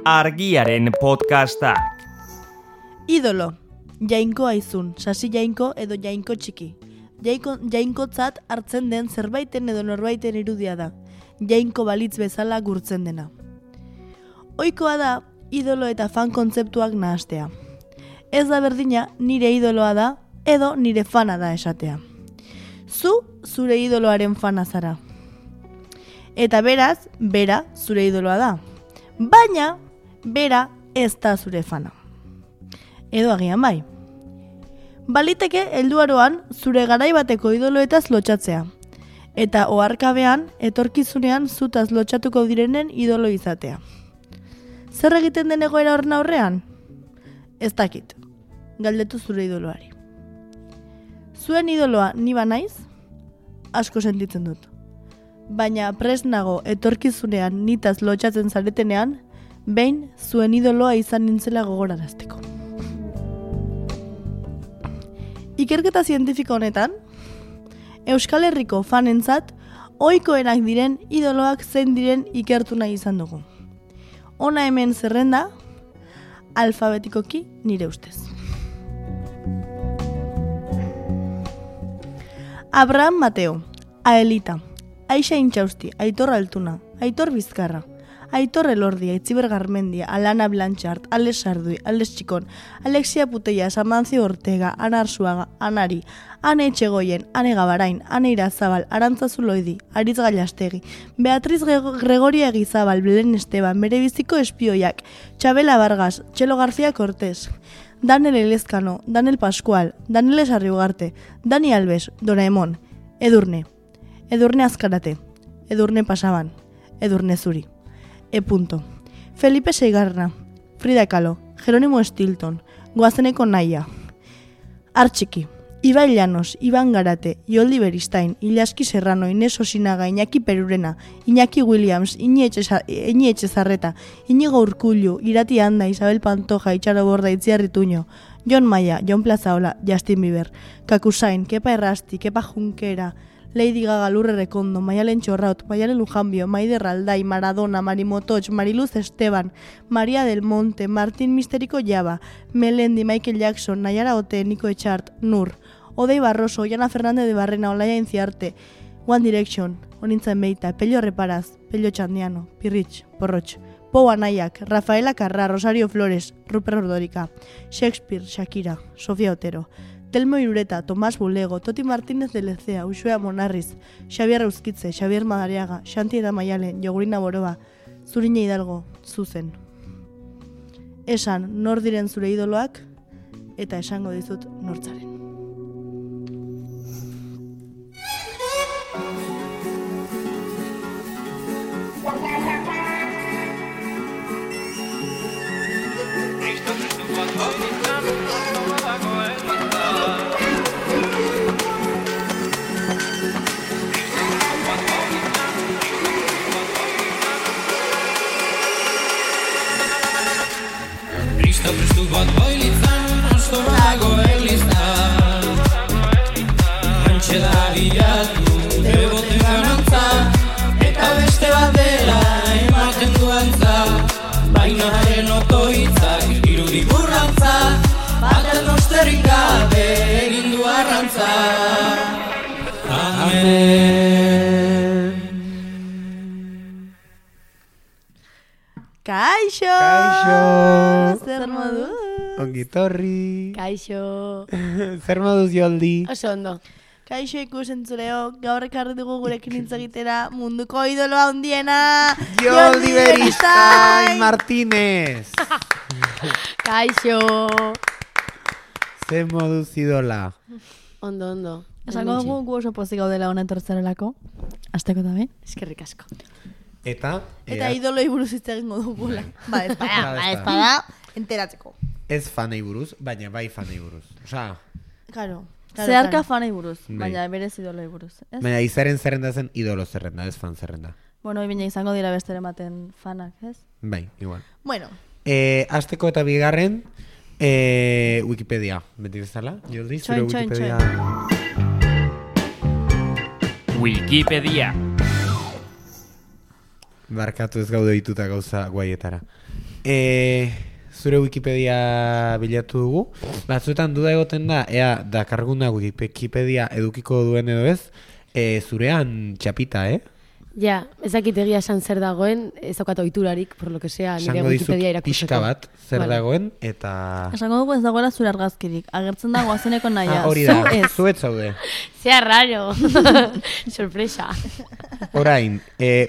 Argiaren podcastak. Idolo, jainko aizun, sasi jainko edo jainko txiki. Jainkotzat hartzen den zerbaiten edo norbaiten irudia da. Jainko balitz bezala gurtzen dena. Ohikoa da, idolo eta fan kontzeptuak nahastea. Ez da berdina nire idoloa da edo nire fana da esatea. Zu, zure idoloaren fana zara. Eta beraz, bera zure idoloa da. Baina, bera ez da zure fana. Edo agian bai. Baliteke helduaroan zure garaibateko idoloetaz lotxatzea. Eta oharkabean, etorkizunean zutaz lotxatuko direnen idolo izatea. Zer egiten den egoera horren aurrean? Ez dakit. Galdetu zure idoloari. Zuen idoloa ni banaiz? Asko sentitzen dut. Baina prest nago etorkizunean nitaz lotxatzen zaretenean, behin zuen idoloa izan nintzela gogorarazteko. Ikerketa zientifiko honetan, Euskal Herriko fanentzat ohikoenak diren idoloak zein diren ikertu nahi izan dugu. Hona hemen zerrenda, alfabetikoki nire ustez. Abraham Mateo, Aelita, Aixa Intxausti, Aitor Altuna, Aitor Bizkarra, Aitor Elordi, Aitziber Garmendia, Alana Blanchard, Alex Sardui, Alex Txikon, Alexia Puteia, Amancio Ortega, Ana Arsuaga, Anari, Ane Etxegoien, Ane Gabarain, Ane Irazabal, Arantza Zuloidi, Aritz Gailastegi, Beatriz Gregoria Egizabal, Belen Esteban, Bere biziko espioiak, Txabela Vargas, Txelo García Cortés, Daniel Elezkano, Daniel Pascual, Daniel Esarriugarte, Dani Alves, Doraemon, Edurne Azkarate, Edurne Pasaban, Edurne Zuri. Felipe Seigarra, Frida Kahlo, Jerónimo Stilton, Goazeneko Naia, Artxiki, Ibai Llanos, Iban Garate, Ioldi Beristain, Ilaski Serrano, Inés Osinaga, Iñaki Perurena, Iñaki Williams, Iñi Etxezarreta, Iñigo Urkullu, Irati Anda, Isabel Pantoja, Itxaro Borda, Itziarri Tuño, Jon Maia, Jon Plazaola, Justin Bieber, Kakusain, Kepa Errasti, Kepa Junkera, Lady Gaga, Lurre Rekondo, Maialen Txorraut, Maialen Lujanbio, Maider Aldai, Maradona, Marimotoch, Mariluz Esteban, María del Monte, Martín Misteriko Jaba, Melendi, Michael Jackson, Nayara Ote, Niko Etxart, Nur, Odei Barroso, Oiana Fernández de Barrena, Olaia Inciarte, One Direction, Onintzen Beita, Pello Reparaz, Pello Txandiano, Pirritx, Porrotx, Pou Anaiak, Rafaela Carrà, Rosario Flores, Rupert Ordorika, Shakespeare, Shakira, Sofia Otero, Telmo Irureta, Tomás Bulego, Toti Martínez de Lecea, Uxue Monarriz, Xavier Euskitze, Xavier Madariaga, Xanti Eda Maialen, Jogurina Boroba, Zurine Hidalgo, Zuzen. Esan nor diren zure idoloak eta esango dizut nortzaren. Prestu bat bailitzan, osto dago elizan. Antxe da bilatu, beboten ganantza, eta beste bat dela ematen duantza. Baina haren otoitzak irudik burrantza, baten osterik gabe egin du arrantza. Amen. Kaixo! Zer moduz? Ongitorri. Kaixo! Zer moduz, Joldi? Oso ondo. Kaixo ikusentzuleo, gaur ekarri dugu gurekin hitz egitera munduko idoloa handiena Joldi Beristain Martínez! Kaixo! Zer moduz idola? Ondo. Esango dugu gu oso pozik gaudela honen tertzerelako. Azteko da be? Eskerrik asko. Eta idoloi buruz hitz egingo dugula. Ba, espada, enteratzeko. Ez fanei buruz, baina bai fanei buruz. Osea, Claro. Zeharka fanei buruz, Bai. baina berez idoloi buruz. Ez? baina izaren zerrenda zen idolo zerrenda, ez fan zerrenda. Bueno, bina izango dira beste ematen fanak, ez? Bai, igual. Bueno, Azteko eta bigarren, Wikipedia. Beti bezala, Joldi, zure Txoin. Wikipedia. Wikipedia. Barkatu ez gaude dituta gauza guaietara. Zure Wikipedia bilatu dugu. Batzuetan duda egoten da, ea dakarguna Wikipedia edukiko duen edo ez, zurean txapita, Ja, ezakit egia esan zer dagoen, ez daukat ohiturarik, por lo que sea, nire Esango dizut Wikipedia irakurtzeko. pixka bat zer Vale. dagoen, eta... Esango dugu ez dagoela zure argazkirik. Agertzen da guazeneko naia. Hori da, Zu ez. zuet zaude. Sea raro. Sorpresa. Orain,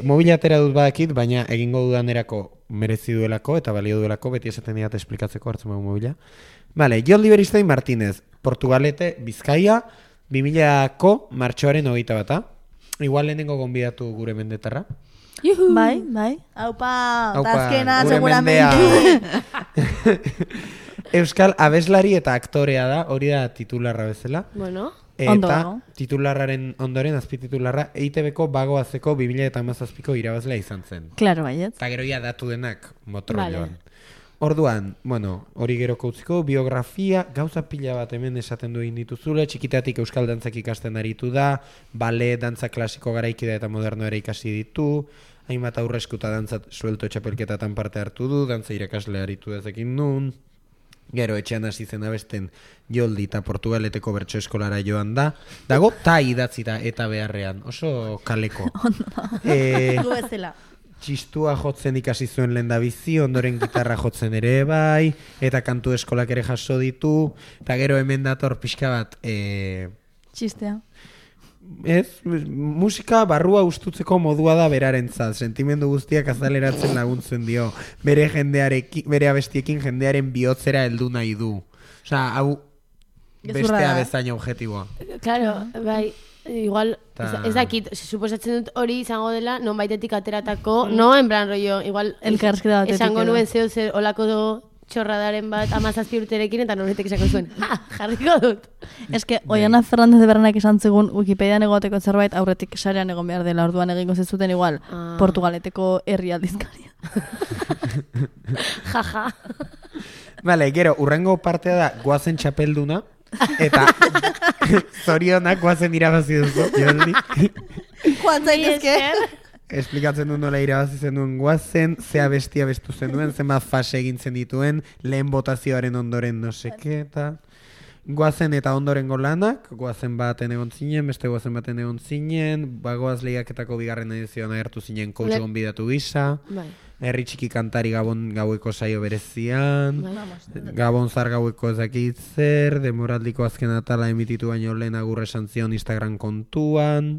mobila atera dut badakit, baina egingo dudanerako merezi duelako eta balio duelako, beti esaten diat esplikatzeko hartzen dugu mobila. Vale, Joldi Beristain Martínez, Portugalete, Bizkaia, 2000ko martxoaren 21. Igual lehenengo gonbidatu gure mendetarra. Juhu. Bai. Aupa, Aupa, tazkena, gure seguramente. Euskal abeslari eta aktorea da, hori da titularra bezala. Bueno, Eta Ondo dago. titularraren ondoren, azpititularra, EITB-ko bagoazeko 2017ko irabazlea izan zen. Claro, baiet. Eta gero ja datu denak motrolloan. Vale. Orduan, bueno, hori geroko utziko, biografia, gauza pila bat hemen esaten du egin dituzule, txikitatik euskal dantzak ikasten aritu da, bale, dantza klasiko garaikidea eta moderno ere ikasi ditu, hainbat aurreskuta dantzat suelto txapelketatan parte hartu du, dantza irakasle aritu dezekin nun, gero etxean hasi zen abesten Joldi eta Portugaleteko bertso eskolara joan da, dago ta idatzita eta beharrean, oso kaleko. Gu bezala. Txistua jotzen ikasi zuen lehendabizi, ondoren gitarra jotzen ere bai, eta kantu eskolak ere jaso ditu, eta gero hemen dator pixka bat, Txistea. musika barrua ustutzeko modua da berarentzat, sentimendu guztiak azaleratzen laguntzen dio, bere abestiekin jendearen bihotzera heldu nahi du. Osea, hau Gezurra bestea da. bezain objetiboa. claro, bai, igual, Ta- ez dakit, suposatzen dut hori izango dela, non baitetik ateratako, no, en plan rollo, igual, Elkarrizketa batetik esango edo. nuen zeo zer olako txorradaren bat 17 urterekin, eta noretek esango zuen, jarriko dut. Ez que, Oiana Fernández de Berranak esan zigun Wikipedian egoteko zerbait aurretik sarean egon behar dela, orduan egingo zezuten igual Ah. Portugaleteko herri aldizkaria. Jaja. Vale, gero, urrengo partea da goazen txapelduna, eta zorionak goazen irabazi duzu, Joldi. Joan zaitezke. Esplikatzen du nola irabazi zenuen goazen, zea bestia bestu zenuen, zenbat fase egintzen dituen, lehen botazioaren ondoren no seke, eta goazen eta ondorengo lanak, goazen baten egon zinen, beste goazen baten egon zinen, bagoaz lehiaketako bigarren edizioan agertu zinen coach Le- gonbidatu gisa, Bai. herri txiki kantari Gabon gaueko saio berezian, Bai. Gabon zar gaueko ezakit zer, demoraldiko azken atala emititu baino lehen agur esan zion Instagram kontuan,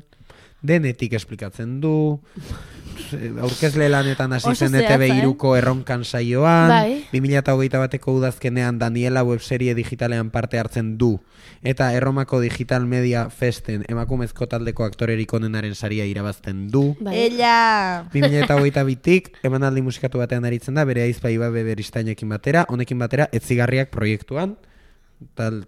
denetik esplikatzen du, aurkezle lanetan hasi Oso zen zehatza, ETV iruko erronkan saioan, Bai. 2021 bateko udazkenean Daniela webserie digitalean parte hartzen du, eta Erromako Digital Media Festen emakumezko taldeko aktorerik onenaren saria irabazten du. Bai. Ella. 2022tik emanaldi musikatu batean aritzen da, bere aizpa Ibabe Beristainekin batera, honekin batera etzigarriak proiektuan, tal.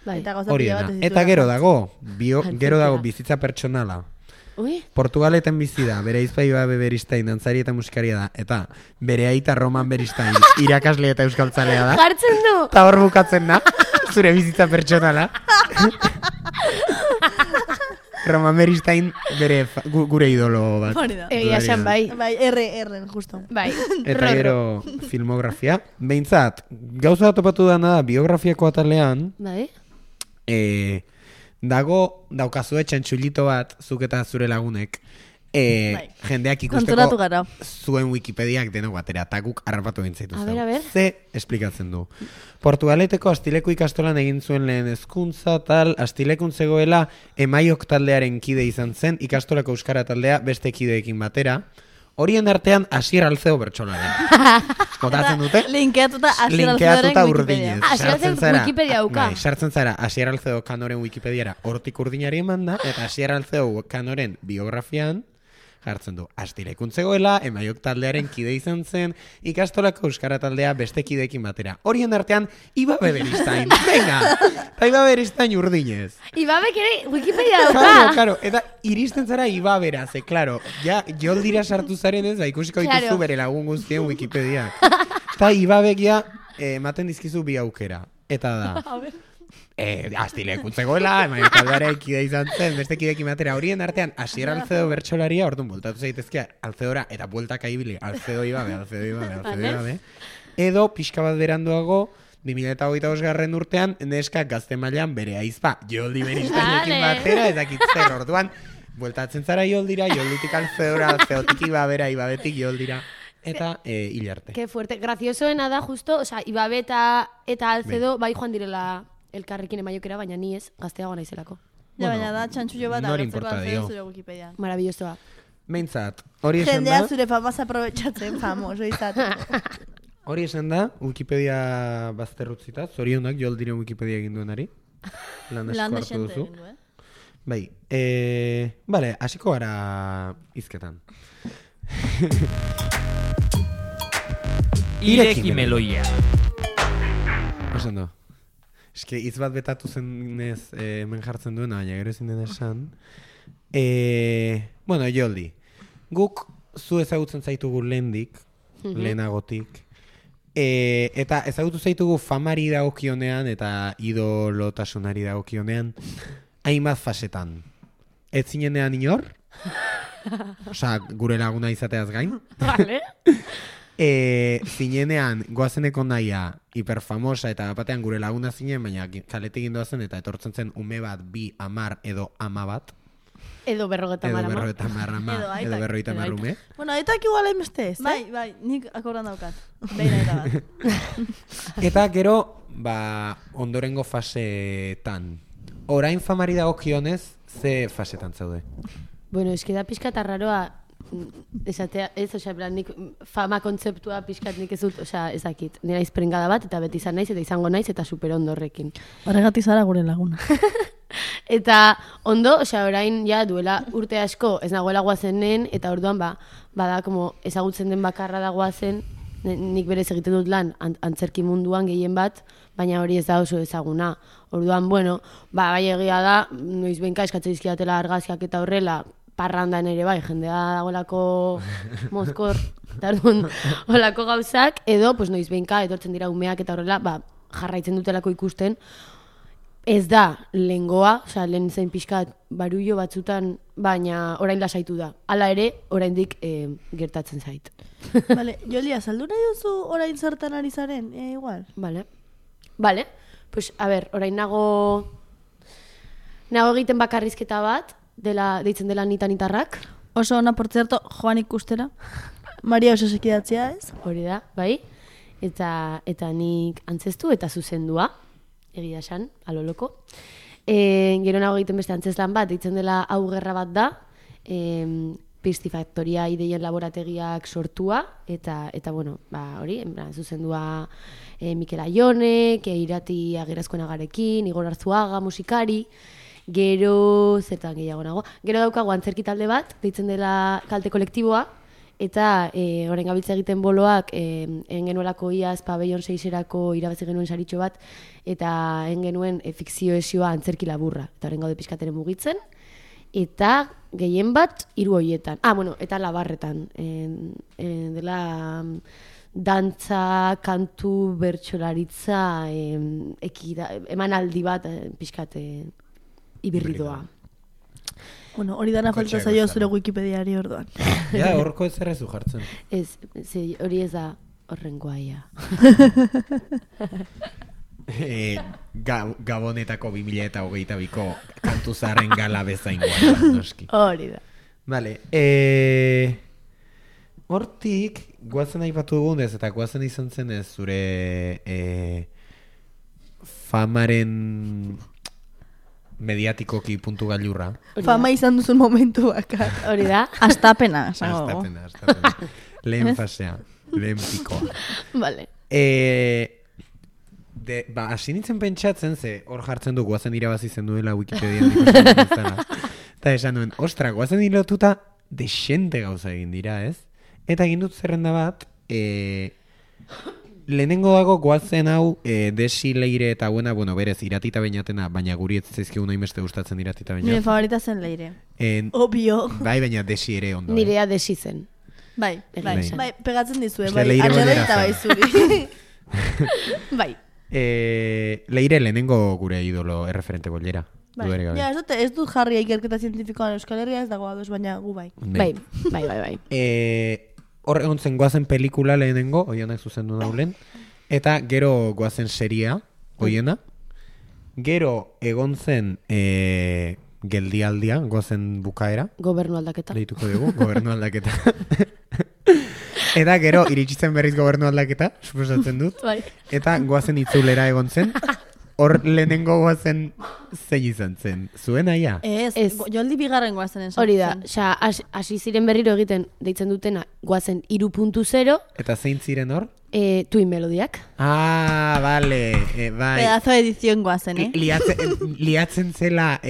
Bai. Eta gauza Hori pila dena. bat ez Eta dituela. gero dago, Antzerkera. gero dago bizitza pertsonala. Ui, Portugaleten bizi da, bere aizpa Ibabe Beristain, dantzari eta musikaria da, eta bere aita Roman Beristain, irakasle eta euskaltzalea da. jartzen du! Eta hor bukatzen da, zure bizitza pertsonala. Roman Beristain bere gure idolo bat. Hori da. Egia esan bai. Bai, erren, justo. Bai. Eta gero filmografia. Behintzat, gauza bat topatu dana da, biografiako atalean, Bai. daukazue txantxulito bat, zuk eta zure lagunek, Bai. jendeak Konturatu ikusteko gara. zuen Wikipediak denok batera, eta guk harrapatu bintzaitu A ber. Ze esplikatzen du. Portugaleteko Astileko ikastolan egin zuen lehen hezkuntza, tal, Astilekun zegoela Emaiok taldearen kide izan zen, ikastolako euskara taldea beste kideekin batera, horien artean Asier Alzeo bertsolaren. Botatzen dute? Linkeatuta Asier Linkeatuta Alzeoren urdinez. Wikipedia. Asier Alzeo Sartzen zara- Wikipedia dauka. Bai, sartzen zara Asier Alzeo kanoren Wikipediara hortik urdinari eman da, eta Asier Alzeo kanoren biografian jartzen du. Astilekun zegoela, Emaiok taldearen kide izan zen, ikastolako euskara taldea beste kideekin batera. Horien artean, Ibabe Beristain. Venga! Eta Ibabe Beristain urdinez. Ibabek ere Wikipedia Claro, dauka! claro, eta iristen zara Ibabera, ze, claro, ja, Joldira sartu zaren ez, ba, ikusiko dituzu Claro. bere lagun guztien Wikipediak. Eta Ibabek ja, ematen dizkizu bi aukera. Eta da, Aztilek utzegoela, emaio taldeara ikide izan zen, beste kidekin batera horien artean, Asier Alcedo bertsolaria, orduan bultatu zaitezkea, Alcedora, eta bueltaka ibili, Alcedo ibabe. Edo, pixka bat beranduago, 2025 urtean, neska gazte mailan bere aizpa, Joldi Beristainoekin batera, ezakitzer, orduan, bueltatzen zara Joldira, Jolditik Alcedora, Alcedotik ibabera, ibabetik Joldira. Eta hilarte. Que fuerte. Graciosoena da, justo, o sea, Ibabe eta Alcedo bai joan direla elkarrekin emaiokera, baina ni ez, gazteago naizelako. Ja, baina da, txantxullo bat nor agertzeko importa Alcedo dio. zure Wikipedian. Maravillosoa. Meintzat, hori esan Jendea da, zure famaz aprobetxatzen famoso izateko. hori esan da, Wikipedia bazterrutzita, zorionak Joldiren Wikipedia egin duenari. Lan asko Lan hartu desente duzu. egin du, Bai, bale, hasiko gara hizketan. Ireki meloia. Osan do. Eske, hitz bat betatu zenez hemen jartzen duena, baina gero ezin den esan. Bueno, Joldi, guk zu ezagutzen zaitugu lehendik, lehenagotik, eta ezagutu zaitugu famari dagokionean eta idolotasunari dagokionean, hainbat fasetan. Ez zinenean inor, osea, gure laguna izateaz gain, Vale. zinenean goazeneko naia hiperfamosa eta batean gure laguna zinen, baina kaletik gindoazen eta etortzen zen ume bat, 2, 10 edo 10 bat. Edo 50 Edo ama. 50 ama, Edo aitak. edo 50 ume. Bueno, aitak igual hainbeste ez, Bai, nik akordan daukat. Behin eta bat. Eta gero, ondorengo fasetan. Orain famari dagokionez, ze fasetan zaude? Bueno, eski da pixkat arraroa, esatea, ez, osea, plan, nik fama kontzeptua pixkat nik ez dut, osea, ez dakit. Nera izprengada bat, eta beti izan naiz, eta izango naiz, eta super ondo horrekin. Horregatik zara gure laguna. Eta ondo, osea, orain ja duela urte asko ez nagoela guazenen, eta orduan bada como ezagutzen den bakarra da guazen, nik berez egiten dut lan antzerki munduan gehien bat, baina hori ez da oso ezaguna. Orduan, bueno, bai egia da, noiz behinka eskatzen dizkidatela argazkiak eta horrela, parrandan ere bai, jendea dagoelako mozkor, eta orduan, holako gauzak, edo, pues noiz behinka etortzen dira umeak eta horrela, jarraitzen dutelako ikusten, ez da lehengoa, osea, lehen zen pixkat barullo batzutan, baina orain lasaitu da. Hala ere, oraindik gertatzen zait. Vale, Joli, azaldu nahi duzu orain zertan ari zaren, igual. Vale, pues, a ber, orain nago egiten bakarrizketa bat, deitzen dela Nitanitarrak. Oso ona, por cierto, joan ikustera. Maria oso sekidatzea ez? Hori da, bai? Eta nik antzestu eta zuzendua, egia esan, aloloko. Gero nago egiten beste antzeslan bat, deitzen dela Hau gerra bat da, Pistifaktoria ideien laborategiak sortua, eta bueno, hori, zuzendua Mikel Aionek, Irati Agerazkoenagarekin, Igor Arzuaga, musikari, gero, zertan gehiago nago, gero daukago antzerki talde bat, deitzen dela Kalte kolektiboa, eta orain gabiltza egiten boloak egin genuelako iaz pabellon 6erako irabazi genuen saritxo bat, eta egin genuen fikzio esioa antzerki laburra, eta orain gaude pixkateren mugitzen, eta gehien bat 3 horietan. Bueno, eta Labarretan. Dela dantza, kantu, bertsolaritza, emanaldi bat pixkat ibirridoa. Bueno, hori dana falta zaio zure Wikipediari orduan. Ja, horko ez errezu jartzen. Ez, hori ez da horrengoa ia. Gabonetako 2022ko kantu zaharren gala bezaingoa, noski. Hori da. Vale, hortik, guazen aipatu dugunez, eta guazen izan zen ez zure famaren mediatikoki puntu gailurra. Fama izan duzun momentu bakar. Hori da. Astapena, Astapena. Lehen fasea, lehen pikoa. Vale. Hasi nintzen pentsatzen, ze hor jartzen du guazen irabazi zen duela Wikipedian ikusten duzela. Eta esan duen, ostra, guazen hilotuta desente gauza egin dira, ez? Eta egin dut zerrenda bat, lehenengo dago guazen hau Desi Leire eta buena, bueno, berez, Iratita Beñatena, baina guri ez zaizkigu nahi beste gustatzen Iratita Beñat. Nire favorita zen Leire. Obvio. Bai, baina Desi ere ondo. Nirea Desi zen. Bai. Bai, pegatzen dizue, Uste bai, Leire arrela bolera eta bai zen. zuri. Bai. Leire lehenengo gure idolo erreferente bolera. Bai. Ja, ez dut jarri ikerketa zientifikoan Euskal Herria ez dago ados, baina gu bai. Bai. Hor egon zen goazen pelikula lehenengo, oienak zuzendu daulen, eta gero goazen seria, oiena, gero egon zen geldialdia, goazen bukaera. Gobernu aldaketa. Deituko dugu, gobernu aldaketa. Eta gero iritsi zen berriz gobernu aldaketa, suposatzen dut. Bai. Eta goazen itzulera egon zen. Hor lehenengo goazen zein izan zen. Zuen aia? Ez. Joldi bigarren goazen esan. Hori da, hasi ziren berriro egiten deitzen dutena goazen 3.0. Eta zein ziren hor? Twin melodiak. Ah, vale, bai. Pedazo de edición goazen, Liatzen zela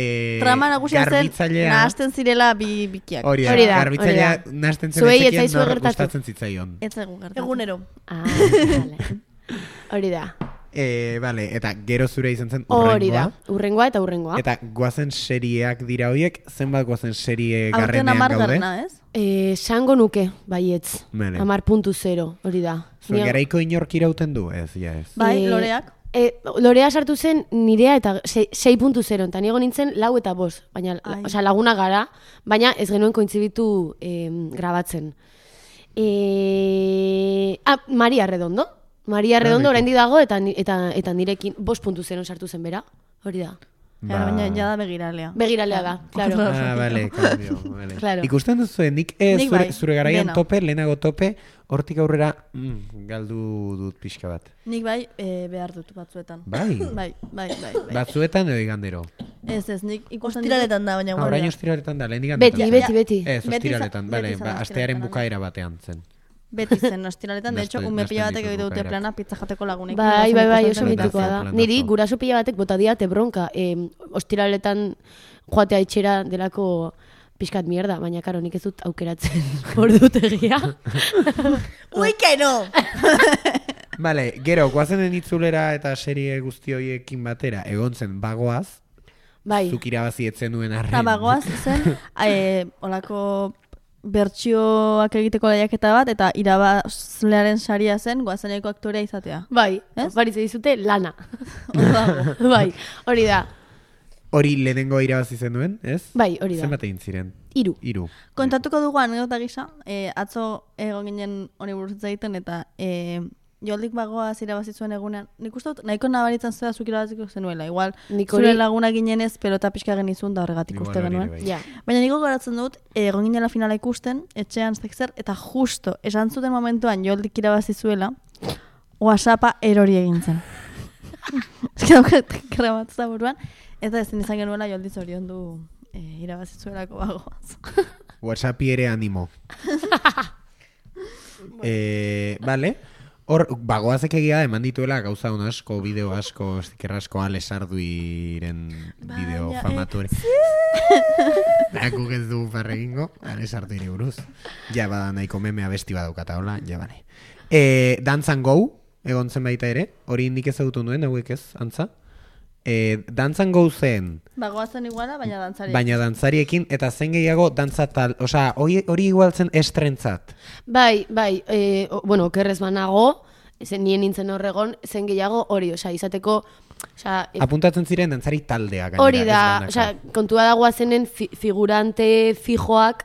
trama nagusia zen, garbitzailea. nahasten zirela bikiak. Hori Hori da, garbitzailea hori da. nahasten zen Zuei ez ezekien zaizue nor gertatu. gustatzen zitzaion. Ez zaigu gertatu. Egunero. Vale. Hori da. Vale, eta gero zure izan zen Hori da. urrengoa. Urrengoa. Eta goazen serieak dira horiek, zenbat goazen serie Aurten garrenean gaude? amargarna, ez? Sango nuke, baietz. Bale. 10.0, hori da. Zuen garaiko inork irauten du? Ez, ja ez. Bai, loreak. Lorea sartu zen nirea eta 6.0, eta niego nintzen 4 eta 5, baina, laguna gara, baina ez genuen kointzibitu grabatzen. Maria Redondo. Maria Redondo oraindi dago eta nirekin 5.0 sartu zen bera, hori da. Baina ja da begiralea. Begiralea da, claro. Vale, cambio, vale. Claro. Ikusten duzu, nik zure garaian dena. tope, lehenago tope, hortik aurrera galdu dut pixka bat. Nik bai behar dut batzuetan. Bai? Bai. Batzuetan edo igandero? Ez, nik ikusten Ostiraletan da, baina Orain ostiraletan da, lehen igandetan. Beti. Ez, Beti ostiraletan, bale, izan da astearen ostiraletan, bukaera batean zen. Beti zen ostiraletan, de hecho, Nahasten ume pila batek ditut egite dute bukaerak. plana pizza jateko lagunekin. Bai, oso zen. mitikoa da. Planazo. Niri guraso pila batek bota diate bronka. Ostiraletan joatea itxera delako pixkat mierda, baina karo, nik ez dut aukeratzen ordutegia. Ui, que no! Bale, gero, goazenen itzulera eta serie guzti horiekin batera, egon zen bagoaz, Bai. zuk irabazi etzen nuen arren. Eta bagoaz zen, olako bertsioak egiteko lehiaketa bat, eta irabazlearen saria zen goazeneko aktorea izatea. Bai, Ez? baritze dizute lana. Odago. Bai, hori da. Hori lehenengo irabazi zen duen, ez? Bai, hori da. Zenbat egin ziren? 3. 3. Kontatuko dugu anekdota gisa, atzo egon ginen hori buruz hitz egiten, eta Joldik bagoaz irabazi zuen egunean. Nik uste dut, nahiko nabaritzen zera zuk irabaziko zenuela. Igual, Nik zure hori- laguna ginenez, pelota pixka genizun da horregatik uste genuen. Ja. Baina niko goratzen dut, egon ginela finala ikusten, etxean zer, eta justo, esan zuten momentuan Joldik irabazi zuela, WhatsAppa erori egin zen. Ez que daukat grabatza buruan, eta ezin izan genuela Joldi zorion du irabazi zuelako bagoaz. WhatsAppi ere animo. Vale. Hor, bagoazek egia eman dituela gauza hon asko, bideo asko, sticker asko, Alex Arduiren bideo famatu ere. Guk ez dugu farregingo, Alex Arduiri buruz. Ja, bada nahiko meme abesti badaukata, hola, ja, bale. Dance and Go, egon zen baita ere, hori nik ezagutu nuen, hauek ez, antza. Dance and Go zen, Bagoazen iguala, baina dantzari. baina dantzariekin, eta zen gehiago dantza tal, osea, hori igual zen estrentzat. Bai, bueno, okerrez banago, nien nintzen horregon, zen gehiago hori, izateko, Apuntatzen ziren dantzari taldea gainera. hori ez da, banaka. kontua dagoa zenen figurante fijoak,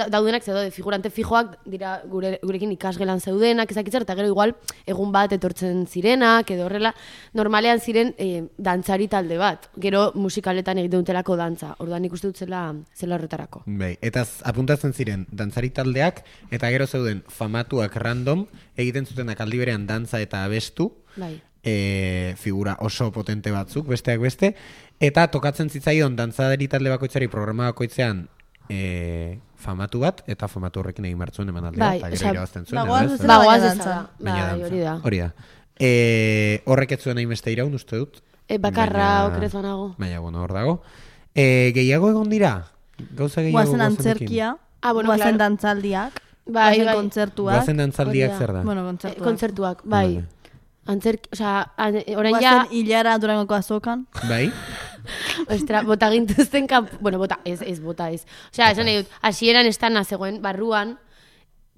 daudenak zeude, figurante fijoak dira gurekin ikasgelan zeudenak, ezakitzer, eta gero igual egun bat etortzen zirenak, edo horrela, normalean ziren dantzari talde bat, gero musikaletan egiten dutelako dantza, orduan ikuste dut zela horretarako. Bai, eta apuntatzen ziren dantzari taldeak, eta gero zeuden famatuak random, egiten zutenak aldi berean dantza eta abestu, Bai. Figura oso potente batzuk, besteak beste, eta tokatzen zitzaion dantzadari talde bakoitzari programa bakoitzean famatu bat, eta famatu horrekin egin martzuen emanaldea, Bai, eta osea, gero irabazten zuen. bagoaz edo ez? bezala, Bagoaz baina ez dantza. da, Baina bai, dantza. hori da. Hori da. Horrek ez zuen hainbeste iraun, uste dut. Bakarra Baina- okerez banago. Baina, bueno, hor dago. Gehiago egon dira? Gauza gehiago Guazen goazenekin? antzerkia, Bueno, guazen claro. dantzaldiak, Bai, guazen bai. kontzertuak, Goazen dantzaldiak Hori da. zer da? bueno, kontzertuak. Kontzertuak, bai. Vale. Orain ja, Guazen hilara durangoko azokan. Bai? ostra, bota gintuzten bueno, bota, ez. Osea, esan nahi dut, hasieran estana zegoen barruan,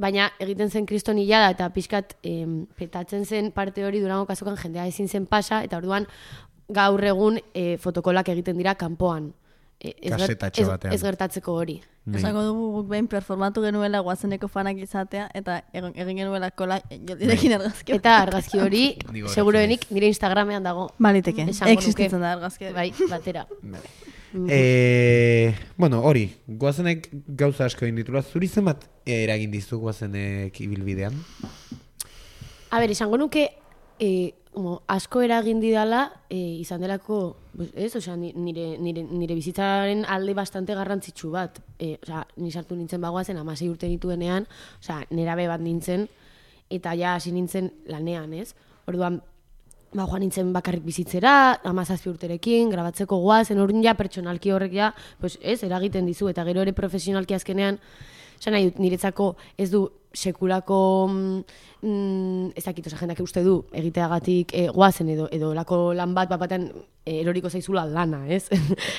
baina egiten zen kriston hilada eta pixkat petatzen zen parte hori Durango kazokan jendea ezin zen pasa, eta orduan gaur egun fotokolak egiten dira kanpoan. Kasetatxo batean. Ez gertatzeko hori. Esango dugu guk behin performatu genuela Guazeneko fanak izatea, eta egin genuela kola Joldirekin argazki. Eta argazki hori, Nik seguruenik, nire Instagramean dago. Baliteke, Esango nuke. existitzen da argazki. Bai, batera. Bueno, hori, Guazenek gauza asko egin ditula. Zuri zenbat eragin dizu Guazenek ibilbidean? A ber, esango nuke, asko eragin didala, izan delako, ez, osea, nire bizitzaren alde bastante garrantzitsu bat. Osea, ni sartu nintzen Bagoazen 16 urte nituenean, osea, nerabe bat nintzen, eta ja hasi nintzen lanean, ez? Orduan, joan nintzen bakarrik bizitzera, 17 urterekin, grabatzeko Goazen, orduan ja pertsonalki horrek ja, pues, ez, eragiten dizu, eta gero ere profesionalki azkenean, esan nahi dut, niretzako ez du sekulako, ez dakit, oza, jendak uste du, egiteagatik Goazen edo lako lan bat batean eroriko zaizula lana, ez?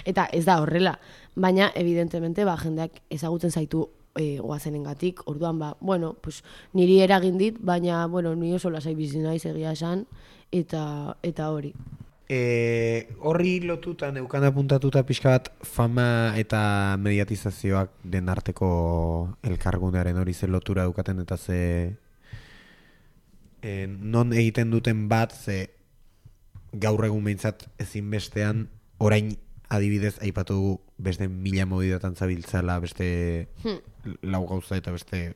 Eta ez da horrela, baina evidentemente jendeak ezagutzen zaitu Goazenengatik, orduan bueno, pues, niri eragin dit, baina, bueno, ni oso lasai bizi naiz egia esan, eta hori. Horri lotuta neukan apuntatuta pixka bat fama eta mediatizazioak den arteko elkargunearen hori ze lotura dukaten eta ze non egiten duten bat ze gaur egun behintzat ezinbestean orain adibidez aipatu dugu beste 1000 modidatan zabiltzala beste lau gauza eta beste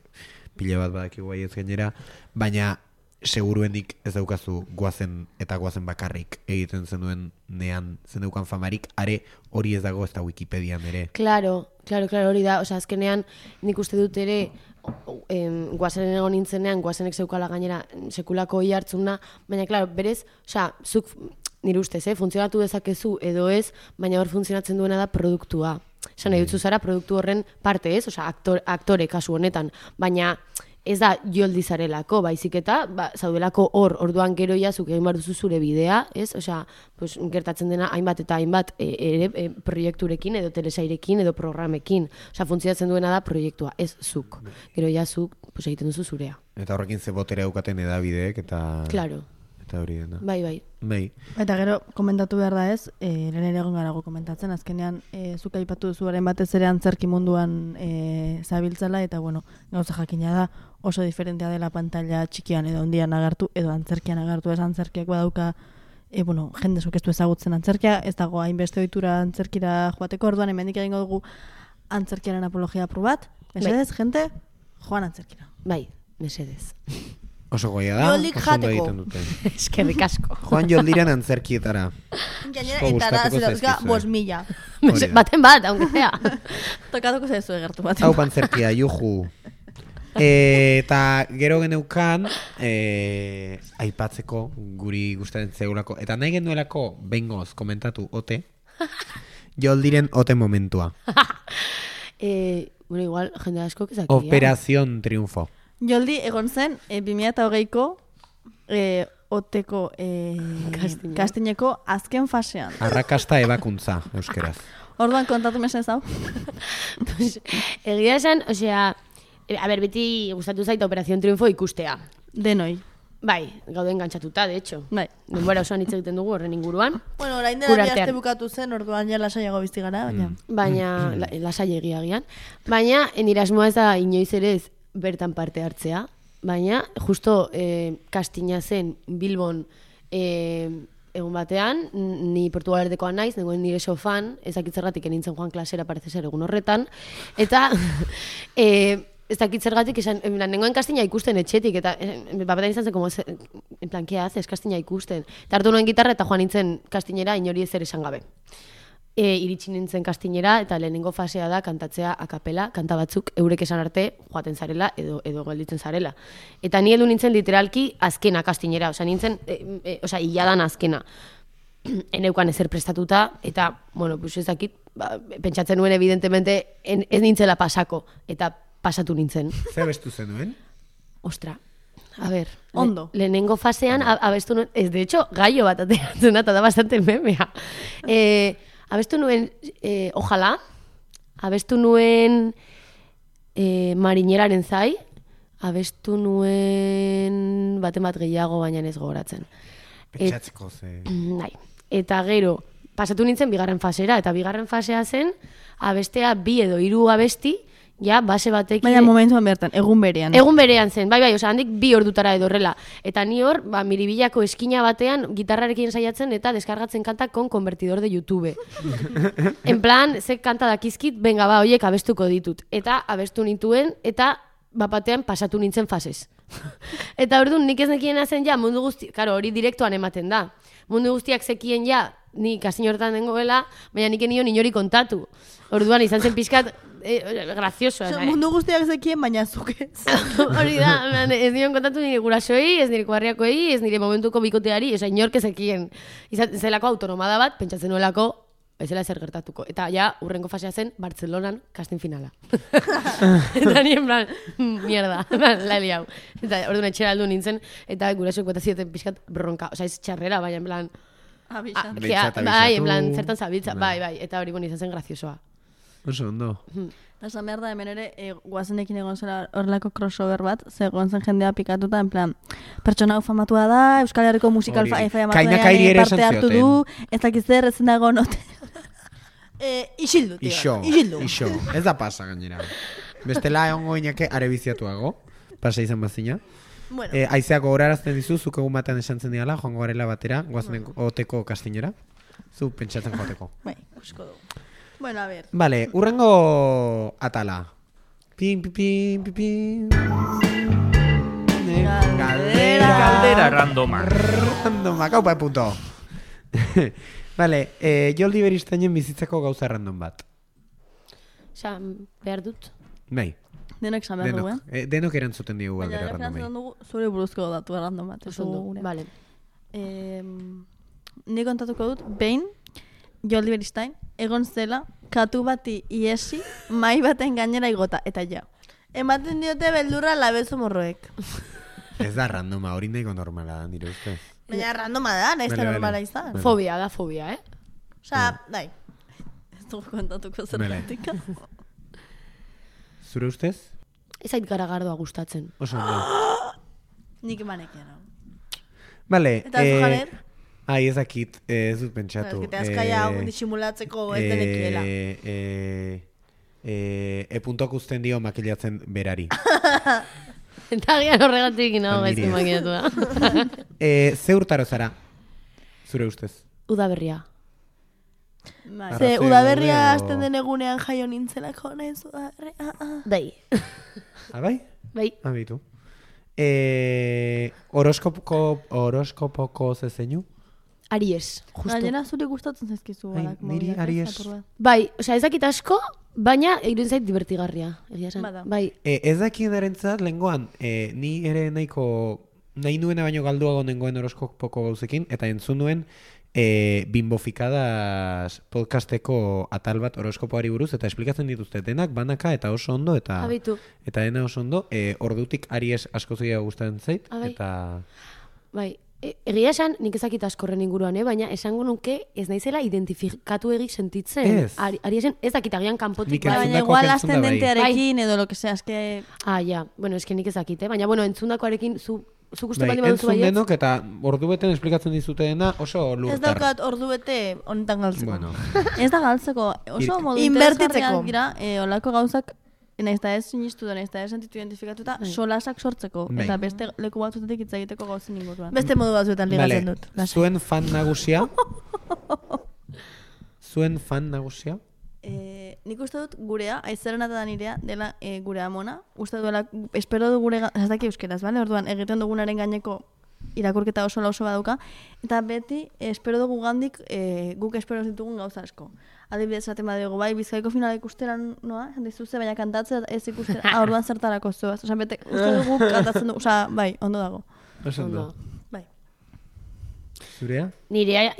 pile bat badakigu ez gainera, baina seguruenik ez daukazu Goazen eta Goazen bakarrik egiten zenuen nean zeneukan famarik, are hori ez dago ez da Wikipedian ere. Claro, hori da, osea, azkenean nik uste dut ere Goazenen egon nintzenean, Goazenek zeukala gainera sekulako hartzuna, baina, claro, berez, osea, zuk nire ustez, funtzionatu dezakezu edo ez, baina hor funtzionatzen duena da produktua. Esan nahi dutzu zara produktu horren parte, ez? Osea, aktore kasu honetan, baina ez da joldi zarelako, baizik eta zaudelako hor, orduan gero jazuk egin behar duzu zure bidea, ez? Osea, pues, gertatzen dena hainbat eta hainbat proiekturekin edo telesairekin edo programekin. Osea, funtzionatzen duena da proiektua, ez zuk. Gero jazuk pues, egiten duzu zurea. Eta horrekin ze botere daukaten edabideek eta... Claro. Eta hori dena. Bai. Eta gero, komentatu behar da ez, lehen ere egon garago komentatzen, azkenean, zuk aipatu duzuaren batez ere antzerki munduan zabiltzala, eta bueno, gauza jakina da, oso diferentea dela pantalla txikian edo handian agertu, edo antzerkian agertu, ez antzerkiak badauka, jende zuk ez du ezagutzen antzerkia, ez dago hainbeste ohitura antzerkira joateko, orduan hemendik egingo dugu antzerkiaren apologia probat, mesedez, jente, joan antzerkira. Bai, mesedez. Oso goia da, Joldik oso ondo jateko. egiten dute. Eskerrik asko. Joan Joldiren antzerkietara. Gainera, Asko eta da, gustatuko zera, zaizkizue. 5.000. Hori da. Baten bat, aunque sea. Tokatuko zaizu egertu bat. Hau pantzerkia, juhu. Eta gero geneukan aipatzeko guri gustaren zeugulako. Eta nahi genuelako bengoz komentatu ote. Joldiren ote momentua. Bueno, igual, jende asko kezakia. Operación Triunfo. Joldi egon zen 2008ko oteko kastineko azken fasean. Arrakasta ebakuntza, euskeraz. Orduan kontatu mesedez hau. Pues, egia esan, osea, beti gustatu zait Operación Triunfo ikustea. Denoi. Bai, gaude engantzatuta, de hecho. Bai. Denbora osoan hitz egiten dugu horren inguruan. Bueno, orain dela Gure bi aste artean. bukatu zen, orduan ja lasaiago bizi gara, baina... Baina, lasai egiagian. Baina, nire asmoa ez da inoiz ere ez bertan parte hartzea. Baina, justo kastina zen Bilbon egun batean, ni Portugalerdekoa naiz, nengoen nire sofan, ezakitzergatik enintzen joan klasera parece ser egun horretan. Eta... ez dakit zergatik, nengoen kastina ikusten etxetik, eta bapetan izan zen, como, en plan, ¿qué haces, kastina ikusten? Eta hartu nuen gitarra eta joan nintzen kastinera inori ezer esan gabe. Iritsi nintzen kastinera, eta lehenengo fasea da kantatzea akapela, kanta batzuk eurek esan arte joaten zarela edo gelditzen zarela. Eta ni heldu nintzen literalki azkena kastinera, osea nintzen, hiladan azkena. Eneukan ezer prestatuta, eta, bueno, pues ez dakit, pentsatzen nuen evidentemente ez nintzela pasako, eta pasatu nintzen. Zer bestu zenuen? Ostra, a ver. Ondo. Lehenengo fasean abestu nuen, ez de hecho, gaio bat ateratzen da bastante memea. Abestu nuen, ojalá, abestu nuen marinelaren zai, abestu nuen baten bat gehiago, baina ez gogoratzen. Pentsatzeko ze. Bai. Eta gero, pasatu nintzen bigarren fasera, eta bigarren fasea zen, abestea 2 edo 3 abesti, ja, base batekin... Baina momentuan bertan, egun berean. Egun berean zen, bai, oza, handik 2 ordutara edo horrela. Eta ni hor, miribillako eskina batean, gitarrarekin saiatzen eta deskargatzen kantak con convertidor de YouTube. En plan, ze kanta dakizkit, benga ba, hoiek abestuko ditut. Eta abestu nintuen, eta bapatean pasatu nintzen fasez. Eta orduan, nik ez nekiena zen ja, mundu guzti, karo, hori direktoan ematen da. Mundu guztiak zekien ja, ni kastin horretan dengoela, baina nik enio inori kontatu. Orduan, izan zen pixkat, graziosoa. Mundu guztiak zekien, baina zuk ez. Hori da, ez nion kontatu nire gurasoei, ez nire kuarriakoei, ez nire momentuko bikoteari, ez inork ezekien. Zelako autonomada bat, pentsatzen nuelako, ez zela zer gertatuko. Eta ja, urrengo fasea zen, Bartzelonan casting finala. Eta nien plan, mierda, la hau. Eta orduan etxera aldu nintzen, eta gurasoek bota zieten pixkat bronka. Osa, ez txarrera, baina en plan... Bai, en plan, zertan zabiltza, bai, eta hori izan zen graziosoa. Oso ondo. Esan behar da, hemen ere, guazenekin egon zela horrelako crossover bat, zegoen zen jendea pikatuta, en plan, pertsona hau famatua da, Euskal Herriko musikal faia Kainakairi ere parte hartu du, ez dakiz zer, ez dago note. Isildu, tio. Ixo. Ez da pasa, gainera. Bestela egongo inake arebiziatuago, pasa izan bazina. Bueno. Aizeak gogorarazten dizu, zuk egun batean esantzen diala, joango garela batera, guazen oteko kastinera. Zu pentsatzen joateko. Bai, ikusko dugu. Bueno, a ver. Vale, urrengo atala. Pim, pim, pim, pim. Galdera randoma. Randoma, kaupa punto. Vale, Joldi Beristainen bizitzako gauza random bat. Osa, behar dut. Bai. Denok esan behar dugu, Denok erantzuten digu baina galdera randomei. baina dugu zure buruzko datu random bat. Oso ondo, vale. Ni kontatuko dut, behin, Joldi Beristain, egon zela, katu bati iesi, mai baten gainera igota, eta ja. Ematen diote beldurra labezo morroek. Ez da randoma, hori nahiko normala da, nire ustez. Baina randoma da, nahiz da normala izan. Fobia, da fobia, Osa, dai. Ez dugu kontatuko zergatik. Zure ustez? Ez ait garagardoa gustatzen. Oso ondo. Nik emanekian. Vale. Eta zu janer? Ai, ez dakit, ez dut pentsatu. Ez que azkaia disimulatzeko ez denekiela. Puntuak usten dio makilatzen berari. Eta gian horregatik nago gaizki makinatu da. Ze urtaro zara? Zure ustez? Udaberria. Ze udaberria hasten den egunean jaio nintzelako, nahiz udaberria. Bai. Bai? Bai. Abitu. Horoskopoko zezeinu? Aries, justo. Gainera zure gustatzen zaizkizu. Niri Aries. Bai, osea, ez dakit asko, baina egin zait divertigarria. Egia esan. Bai. Ez dakien erentzat, lehengoan, ni ere nahi nuena baino galduago nengoen horoskopoko gauzekin, eta entzun nuen Bimbofikadas podcasteko atal bat horoskopoari buruz, eta esplikatzen dituzte denak, banaka, eta oso ondo, eta dena oso ondo, ordutik Aries asko zeia gustatzen zait, eta... Bai, egia esan, nik ezakit askorren inguruan, baina esango nuke ez naizela identifikatu egik sentitzen. Ariesen ez dakit agian kanpotik. Baina igual ascendentearekin edo lo que sea, eske... Ja, bueno, eske nik ezakit, baina bueno, entzundakoarekin zuk uste baldin baduzu baietz? Entzun denok eta ordubeten esplikatzen dizute dena oso lurtar. Ez daukat ordubete honetan galtzeko. Bueno. Ez da galtzeko, oso modu inbertitzeko. Gira, olako gauzak, nahiz da ez sinistu da, nahiz da ez sentitu identifikatuta, solasak sortzeko. Eta beste leku batzutetik hitz egiteko gauzen inguruan. Beste modu batzuetan ligatzen dut. Zuen fan nagusia? Zuen fan nagusia? Nik uste dut gurea, aizaren eta nirea, dela gure amona. Uste duela, espero du gure, ez daki euskeraz, bale? Orduan, egiten dugunaren gaineko irakurketa oso lauso baduka. Eta beti, espero dugu gandik, guk espero ditugun gauza asko. Adibidez, esaten badego, bai, Bizkaiko finala ikusteran noa, dizuze, baina kantatzea ez ikusteran, orduan zertarako zoaz. Osa, bete, uste dugu kantatzen dugu, osa, bai, ondo dago. Oso ondo. Bai. Zurea? Nire,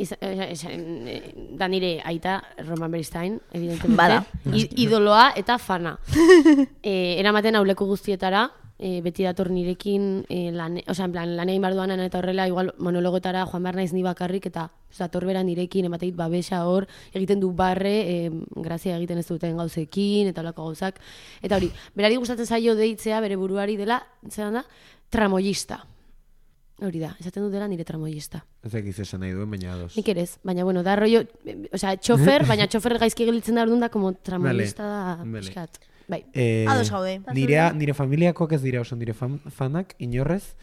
da nire aita Roman Beristain, evidentemente. Bada. Idoloa eta fana. Eramaten auleku guztietara, beti dator nirekin en plan, lanein barduanan eta horrela, igual monologotara joan behar naiz ni bakarrik, eta dator bera nirekin, emateit babesa hor, egiten du barre, grazia egiten ez duten gauzekin, eta olako gauzak. Eta hori, berari gustatzen zaio deitzea, bere buruari dela, zelan da, tramoyista. Hori da, esaten dut dela nire tramoyista. Ez egiz esan nahi duen, baina ados. Nik ere ez, baina bueno, da rollo, txofer, baina txofer gaizki gelitzen da orduan da, como tramoyista da, pixkat. Bai. Ados gaude. Nire familiakoak ez dira oso nire fanak, inorrez.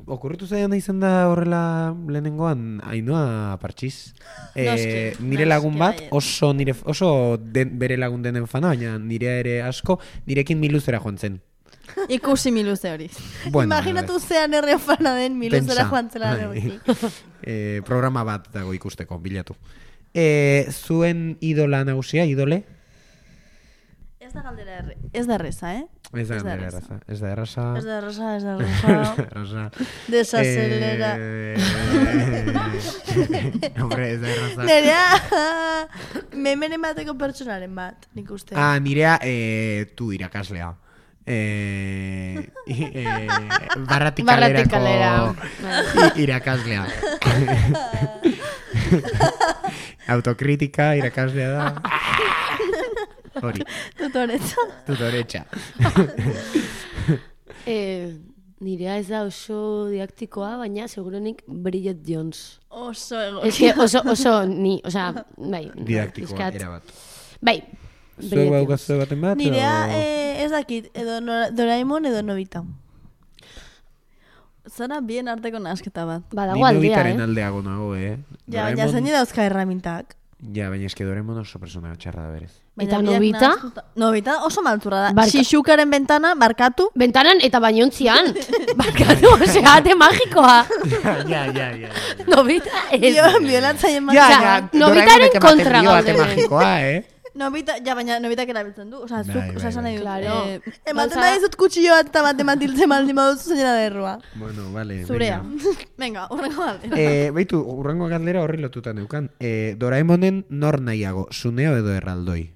Okurritu zaidan izan da horrela lehenengoan Ainhoa Partxiz. Nire lagun bat oso bere lagun denen fana, baina nire ere asko, nirekin miluzera joan zen. Ikusi miluze hori. Bueno, imaginatu zean erre fana den miluzera joan zela negoki. Programa bat dago ikusteko, bilatu. Zuen idola nagusia, idole? Ez da galdera ez da erreza, Ez da erraza. Ez da erraza. Ez da erreza. Desacelera. Hombre, ez da erraza. Nerea, memenen bateko pertsonaren bat, nik uste. Nirea, tu irakaslea. Barratikalerako irakaslea. Autokritika irakaslea da. Hori. Tutoretxa. Nirea ez da oso didaktikoa, baina segurenik Bridget Jones. Oso egokia. Oso ni, bai. Didaktikoa, erabat. Bai. Zuek baukazue baten bat? Nirea ez dakit, edo Doraemon edo Nobita. Zara bien arteko nasketa bat. Badago aldea, Ni Nobitaren aldeago nago, Ja, baina zaini dauzka erramintak. Ja, baina eske Doraemon oso persona txarra da berez. Eta Nobita? Nobita oso malturra da. Shishukaren bentana, barkatu. Bentanan eta bainontzian. Barkatu, ate magikoa. Ja. Nobita ez. Biolatzaien Ja, Nobitaren kontra gaude. gaude. Magikoa, Nobita, ja, baina Nobitak erabiltzen du. Osa, zuk, esan nahi dut. Claro. Ematen da dizut kutxilloa eta bat ematiltzen baldin baduzu zeinera derrua. Bueno, vale. Zurea. Venga, urrengo galdera. Beitu, urrengo galdera horri lotuta neukan. Doraemonen nor nahiago, Suneo edo Erraldoi?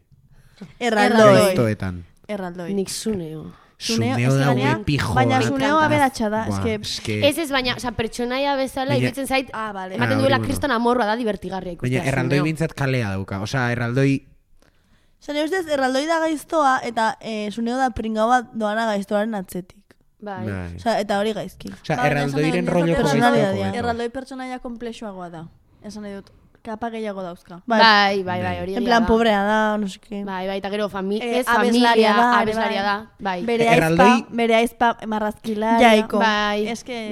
Gaiztoetan. Erraldoi. Nik Suneo. Suneo da pijoa. Baina Suneo aberatsa da, Ez, baina, pertsonaia bezala, iruditzen zait, vale. ematen duela kriston amorroa da divertigarria ikustea. Baina Erraldoi bintzat kalea dauka. Osa, Erraldoi... Zene ustez, Erraldoi da gaiztoa eta Suneo da pringau bat doana gaiztoaren atzetik. Bai. Osa, eta hori gaizki. Osa, Erraldoiren rolloko gaiztoako. Erraldoi pertsonaia komplexuagoa da. Esan nahi dut, kapa gehiago dauzka. Bai, hori en plan, pobrea da, no sé qué. Bai, eta gero abeslaria abeslaria da. Bai. Bere aizpa marrazkilaria. Jaiko. Bai. Eske,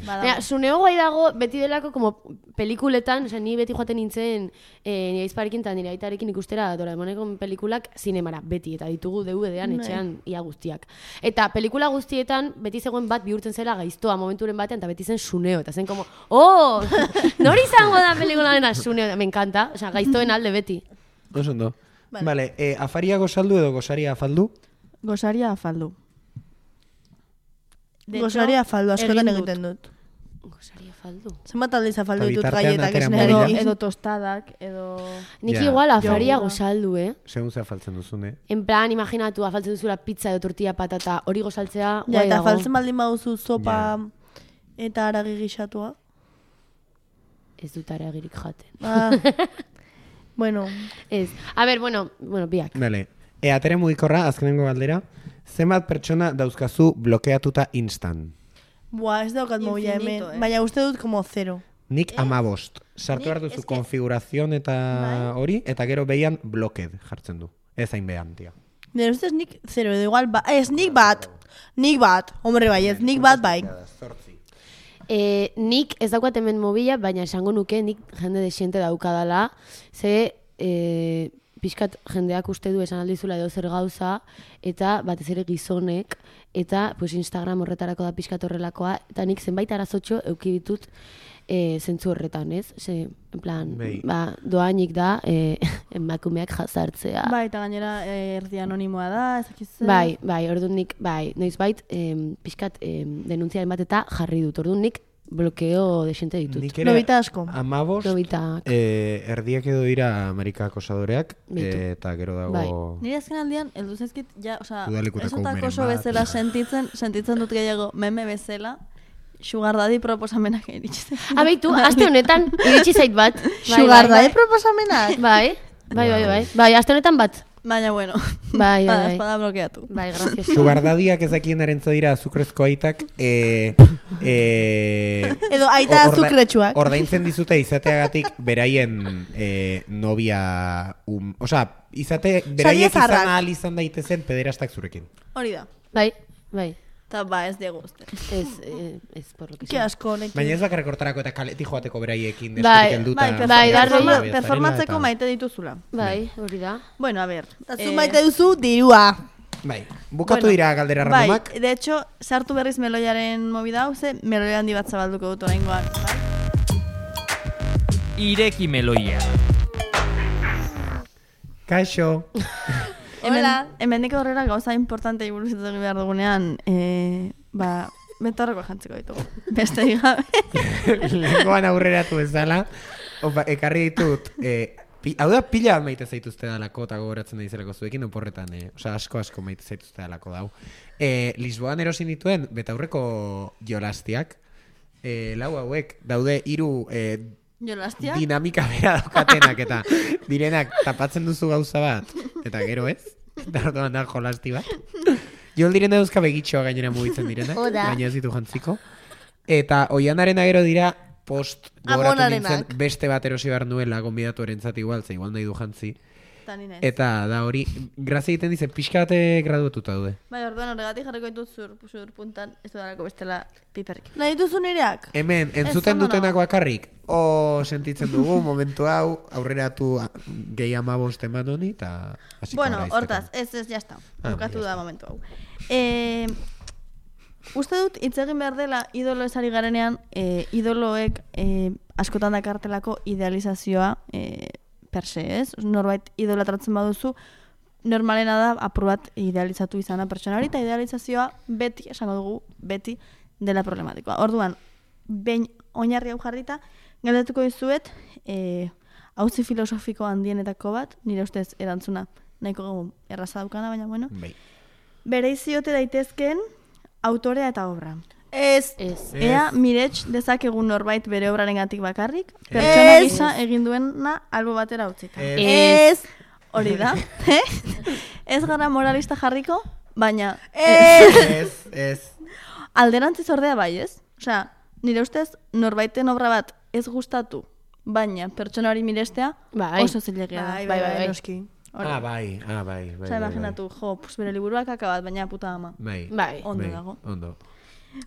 Baina, Suneo guai dago beti delako como pelikuletan, ni beti joaten nintzen nire aizparekin eta nire aitarekin ikustera Doraemoneko pelikulak zinemara, beti, eta ditugu DVD-an etxean ia guztiak. Eta pelikula guztietan beti zegoen bat bihurtzen zela gaiztoa momenturen batean, eta beti zen Suneo, eta zen como, nori izango da pelikularen Suneo, me encanta, gaiztoen alde beti. Oso ondo. Vale, afaria gozaldu edo gozaria afaldu? Gozaria afaldu. Gozaria afaldu, askotan egiten dut. Gozaria afaldu. Zenbat aldiz afaldu ditut bitartean gaietak atera esnerik. Edo tostadak, edo... Nik igual afaria gozaldu, Segun ze afaltzen duzune. En plan, imaginatu, afaltzen duzula pizza edo tortilla patata, hori gozaltzea, Ja, eta afaltzen baldin baduzu sopa eta aragi gixatua. Ez dut aragirik jaten. Bueno. Ez. A ver, bueno, biak. Vale. Atere mugikorra, azkenengo galdera. Zenbat pertsona dauzkazu blokeatuta instan? Buah, ez daukat mobila hemen. Baina uste dut como 0. Nik 15. Sartu behar duzu konfigurazion eta hori, eta gero behian bloked jartzen du. Ez hain behan, tia. Nire ustez nik 0, edo igual, ez nik bat. Nik bat, hombre bai, ez nik bat bai. Nik ez daukat hemen mobila, baina esango nuke nik jende desiente daukadala, ze pixkat jendeak uste du esan aldizula edo zer gauza, eta batez ere gizonek, eta pues, Instagram horretarako da pixkat horrelakoa, eta nik zenbait arazotxo euki ditut zentzu horretan, ez? Ze, en plan, doainik da emakumeak jazartzea. Bai, eta gainera erdi anonimoa da, ezakizu. Bai, orduan nik, noizbait, pixkat denuntziaren bat eta jarri dut. Orduan nik blokeo desente ditut. Nik ere Lobita asko. 15 Lobitak. erdiak edo dira Amerika acosadoreak Beitu. eta gero dago Bai. Nire azken aldian, heldu zaizkit, ja, osea, Udalikutako ez umeren oso bat. bezala sentitzen dut gehiago meme bezala, Sugar Daddy proposamenak iritsi zaizkit. Beitu, aste honetan iritsi zait bat. Sugar Daddy proposamenak? Bai, aste honetan bat. Baina, bueno, Bai. espada blokeatu. Bai, gracioso. Sugardadiak ezakienaren dira azukrezko aitak Edo aita azukretsuak. ordaintzen dizute izateagatik beraien novia beraiek zaharrak. izan ahal izan daitezen pederastak zurekin. Hori da. Bai. Eta ba, ez diegu uste. Ez por lo que Ke sea. asko honekin. Baina ez bakarrik hortarako eta kaletik joateko beraiekin Bai, deskorik helduta. bai, Performatzeko maite dituzula. Bai, hori da. Bueno, a ver. Eta zu maite duzu dirua. Bai, bukatu Bueno, dira galdera randomak. Bai, de hecho, sartu berriz meloiaren movida hau, ze meloi handi bat zabalduko dut oraingoan. Bai? Ireki meloia. Kaixo. Hola. Hemendik aurrera gauza importantei buruz hitz egin behar dugunean, betorreko jantziko ditugu. Beste gabe. Lehenkoan aurreratu bezala, ekarri ditut, hau da pila bat maite zaituzte dalako, eta gogoratzen da izelako zuekin, oporretan, asko maite zaituzte dalako dau. Lisboan erosin dituen, betaurreko jolastiak, lau hauek, daude hiru Jolastia? dinamika bera daukatenak, eta direnak tapatzen duzu gauza bat, eta gero ez, eta orduan da jolasti bat. Jol direna dauzka begitxoa gainera mugitzen direnak, baina ez ditu jantziko. Eta oianarena gero dira post gogoratu Amonarenak. nintzen beste bat erosi behar nuela gonbidatu erentzat igual, ze igual nahi du jantzi. Eta da hori, grazia egiten dize, pixka bate graduatuta daude. Bai, orduan horregatik jarriko ditut zur puntan, ez dudalako bestela piperrik. Nahi duzu nireak? Hemen, entzuten ondo dutenak nago. bakarrik, sentitzen dugu, momentu hau, aurreratu gehi 15 eman honi, eta hasiko Bueno, gara izteko. hortaz, ez, jazta. Bukatu ya da está. momentu hau. Uste dut, hitz egin behar dela idolo esari garenean, idoloek askotan dakartelako idealizazioa per se, ez? Norbait idolatratzen baduzu, normalena da apur bat idealizatu izana pertsona hori, eta idealizazioa beti, esango dugu, beti dela problematikoa. Orduan, behin oinarri hau jarrita, galdetuko dizuet, auzi filosofiko handienetako bat, nire ustez erantzuna nahiko erraza daukana, baina bueno, Bai. bereiziote daitezkeen autorea eta obra. Ez. Ea mirets dezakegun norbait bere obrarengatik bakarrik, pertsona Ez. gisa egin duena albo batera utzita. Ez. Hori da. Ez gara moralista jarriko, baina Ez. alderantziz ordea bai, ez? Osea, nire ustez norbaiten obra bat ez gustatu, baina pertsona hori mirestea Bai. oso zilegia da. bai. noski. Hori. Bai. Osea, imaginatu, pues bere liburuak akabat, baina puta ama. Bai. Ondo Bai, dago. Ondo.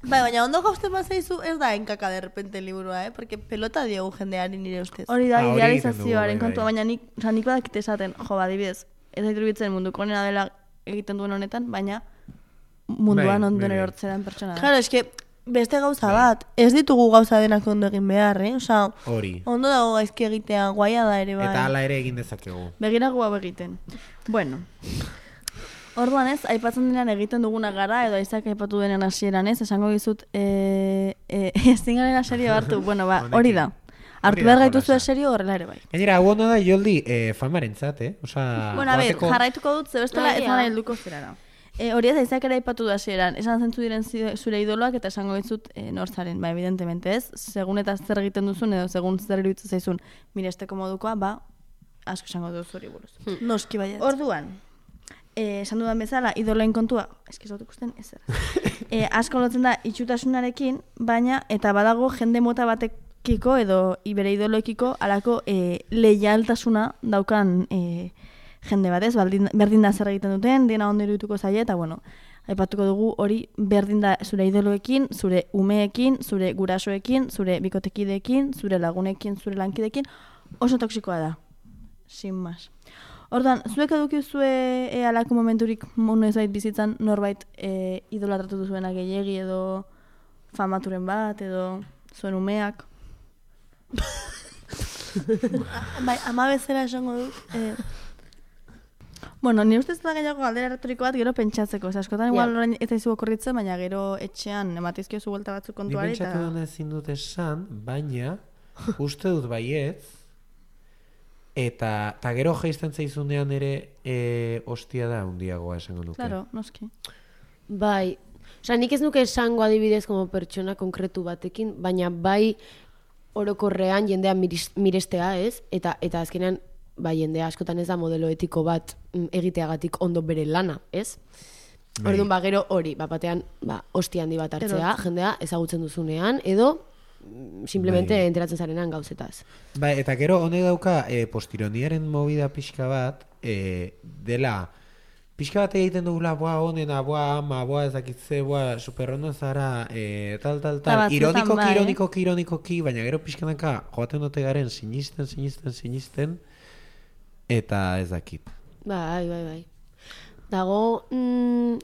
Bai, baina ondo gauzten bazaizu ez da enkaka de repente liburua, Porque pelota diogu jendeari nire ustez. Hori da, Hori idealizazioaren egiten dugu, kontua, bai. baina nik badakit esaten, adibidez, ez da iruditzen munduko onena dela egiten duen honetan, baina munduan Bai, ondoen bai. erortzean pertsona da. Claro, eske beste gauza bat, ez ditugu gauza denak ondo egin behar, Osea, Hori. ondo dago gaizki egitea, guaia da ere bai. Eta hala ere egin dezakegu. Begirago hau egiten. Bueno, orduan ez, aipatzen denean egiten duguna gara, edo aizak aipatu denen hasieran ez, esango dizut, ezin garen serio hartu, bueno, ba, hori da. Hartu Hori da behar gaituzu jolasa. serio horrela ere bai. Gainera, hau ondo da Joldi famarentzat, Osea, Bueno, a ver, joateko- jarraituko dut, ze bestela ez Bai, gara ja. helduko zerara. Hori ez aizak ere aipatu da hasieran, esan zentzu diren zure idoloak eta esango dizut norzaren, ba, evidentemente ez, segun eta zer egiten duzun edo segun zer iruditzen zaizun miresteko modukoa, ba, asko esango duzu hori buruz. Noski baiet. Orduan, esan dudan bezala, idoloen kontua, eski ez dut ikusten ezer. Asko lotzen da itxutasunarekin, baina eta badago jende mota batekiko edo bere idoloekiko alako leialtasuna daukan jende bat ez, berdin da zer egiten duten, dena ondo irudituko zaie, eta bueno, aipatuko dugu hori berdin da zure idoloekin, zure umeekin, zure gurasoekin, zure bikotekideekin, zure lagunekin, zure lankideekin, oso toksikoa da. Sin más. Orduan, zuek edukizue alako momenturik noiz bait bizitzan norbait idolatratu duzuena gehiegi edo famaturen bat edo zuen umeak. Bai, ama bezala esango dut. Bueno, ni ustez da gehiago galdera retoriko bat gero pentsatzeko. Osa, askotan igual orain ez daizu okorritzen, baina gero etxean ematizkiozu buelta batzuk Ni kontuari. pentsatu duen ezin dut esan, baina uste dut baietz, eta gero jaisten zaizunean ere hostia da handiagoa esango nuke. Claro, noski. Bai, osea, nik ez nuke esango adibidez como pertsona konkretu batekin, baina bai orokorrean jendea mirestea, ez? Eta azkenean, bai, jendea askotan ez da modelo etiko bat egiteagatik ondo bere lana, ez? Bai. Orduan, gero hori, batean, hostia handi bat hartzea, jendea ezagutzen duzunean, edo simplemente Bai. enteratzen zarenan gauzetaz. Bai, eta gero honek dauka postironiaren movida pixka bat, dela, pixka bat egiten dugula, honena, ama, ez dakitze, superrono zara, tal, batzuetan ironikoki, baina gero pixkanaka joaten dute garen sinisten, eta ez dakit. Bai. Dago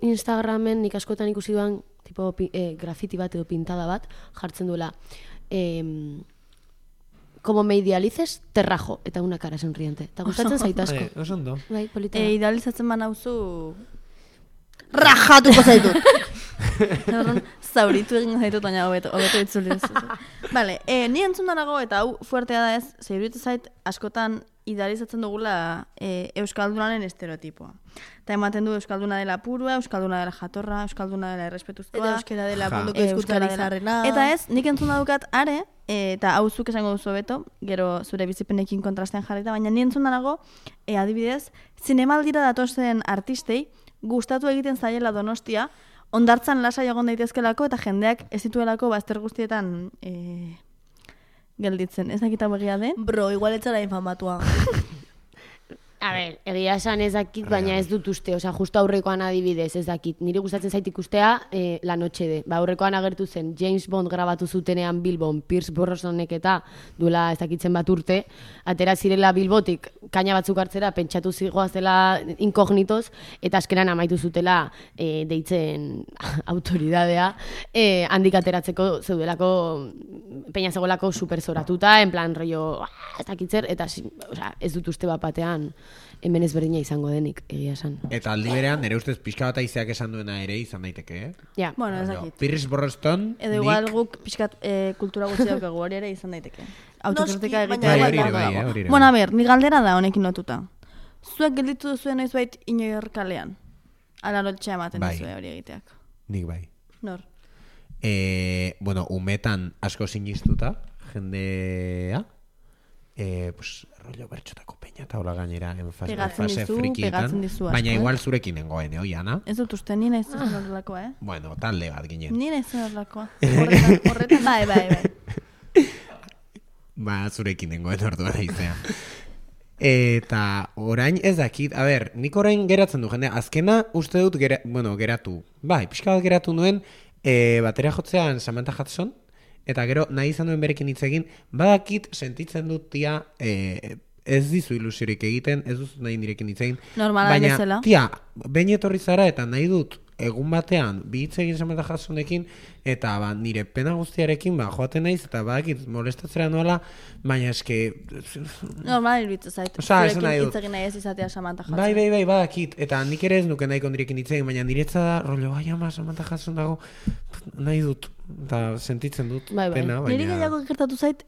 Instagramen nik askotan ikusi duan tipo grafiti bat edo pintada bat jartzen duela como me idealices, te rajo, eta una cara sonriente. Eta gustatzen zait asko. Oso ondo. Bai, polita. da. Idealizatzen banauzu rajatuko zaitut. Horren, zauritu egin zaitut, baina hobeto itzuli. Vale, ni entzun danago, eta hau fuertea da ez, zeiruditu zait, askotan idealizatzen dugula euskaldunaren estereotipoa. Eta ematen du euskalduna dela purua, euskalduna dela jatorra, euskalduna dela errespetuzkoa. Eta euskera dela Ja. munduko hizkuntzari zarrena. Eta ez, nik entzun daukat are, eta hau zuk esango duzu beto, gero zure bizipenekin kontrastean jarrita, baina ni entzun danago, adibidez, zinemaldira datozen artistei, gustatu egiten zaiela Donostia, ondartzan lasai egon daitezkelako eta jendeak ez dituelako bazter guztietan gelditzen. Ez dakit hau egia den? Bro, igual etzara infamatua. A ber, egia esan ez dakit, baina ez dut uste, osea, justo aurrekoan adibidez, ez dakit. Nire gustatzen zait ikustea La Noche de. Aurrekoan agertu zen James Bond grabatu zutenean Bilbon, Pierce Brosnanek eta duela ez dakitzen bat urte, atera zirela Bilbotik kaina batzuk hartzera, pentsatu zigoazela inkognitoz, eta askeran amaitu zutela deitzen autoridadea, handik ateratzeko zeudelako peina zegoelako super zoratuta, en plan rollo, ez dakitzer, eta osea, ez dut uste bat batean hemen ezberdina izango denik, egia esan. Eta aldi berean, nire ustez pixka bat aizeak esan duena ere izan daiteke, Ja. Bueno, ez dakit. Pierce Brosnan, Edo igual guk pixkat kultura gutxi daukagu hori ere izan daiteke. Autokritika Noski, egitea. baina Bai, igual hori ere bai, dago. hori ere Bueno, a bai. ber, ni galdera da honekin lotuta. Zuek gelditu duzuen noizbait inoior kalean? Ala lotxea ematen Bai. duzue hori egiteak. nik bai. Nor? Bueno, umetan asko sinistuta, jendea, pues, rollo bertxotako peña eta hola gainera en fase Pegatzen dizu, frikietan, pegatzen dizu asko, baina eh? igual zurekin nengoen, Ana? Ez dut uste, ni naiz zen horrelakoa, Bueno, talde bat ginen. Ni naiz zen horrelakoa. Horretan, bai. Ba, zurekin nengoen orduan aizea. Eta orain ez dakit, a ber, nik orain geratzen du jendea, azkena uste dut geratu. Bai, pixka bat geratu nuen, batera jotzean Samantha Hudson, eta gero nahi izan duen berekin hitz egin, badakit sentitzen dut tia, ez dizu ilusiorik egiten, ez duzu nahi nirekin hitz egin. Normala baina, bezala. tia, behin etorri zara eta nahi dut egun batean bi hitz egin Samantha Hudsonekin, eta nire pena guztiarekin joaten naiz, eta badakit molestatzera noala, baina eske... Normal iruditzen zait. Osea, esan nahi Zurekin dut. hitz egin nahi ez izatea Samantha Hudson. Bai, badakit. Eta nik ere ez nuke nahiko nirekin hitz egin, baina niretza da, rollo, ama, Samantha Hudson dago, nahi dut, eta sentitzen dut Bai. pena, baina... Niri gehiago gertatu zait,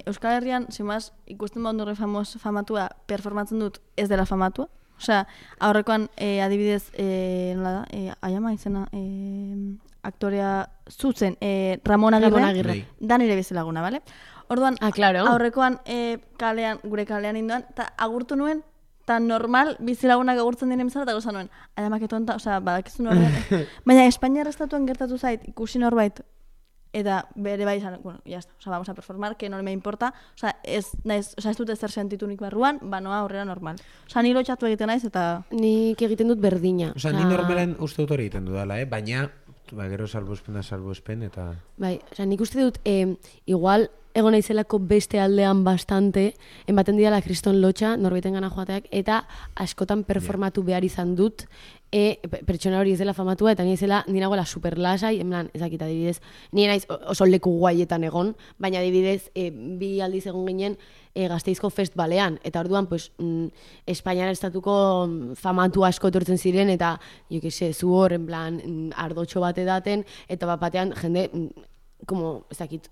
Euskal Herrian, simaz, ikusten baundurre famatua performatzen dut ez dela famatua. Osea, aurrekoan adibidez, nola da, aiama izena, aktorea zuzen, Ramon Agirre, Bai. da nire bezalaguna, bale? Orduan, Claro. aurrekoan gure kalean indoan, eta agurtu nuen, eta normal bizilagunak agurtzen diren bezala, eta goza nuen, aiamak etonta, osea, badakizu norbean. Baina Espainiar estatuan gertatu zait, ikusi norbait, eta bere bai izan, bueno, ya está, osea, vamos a performar, que no me importa, osea, ez dut ezer sentitunik barruan, noa aurrera normal. Osea, ni lotxatu egiten naiz, eta... Nik egiten dut berdina. Osea, ni normalen uste dut hori egiten dudala, baina, gero salbuespen, eta... Bai, osea, nik uste dut, igual, egon naizelako beste aldean bastante, ematen didala kriston lotxa, norbaiten gana joateak, eta askotan performatu behar izan dut, pertsona hori ez dela famatua, eta ni ez dela, ni nagoela super lasai, en plan, ezakit adibidez, ni naiz oso leku guaietan egon, baina adibidez, bi aldiz egon ginen Gasteizko festibalean, eta orduan, pues, Espainiar estatuko famatu asko etortzen ziren, eta, jo que se, zu hor, en plan, ardotxo bat edaten, eta bat batean, jende, como, ezakit,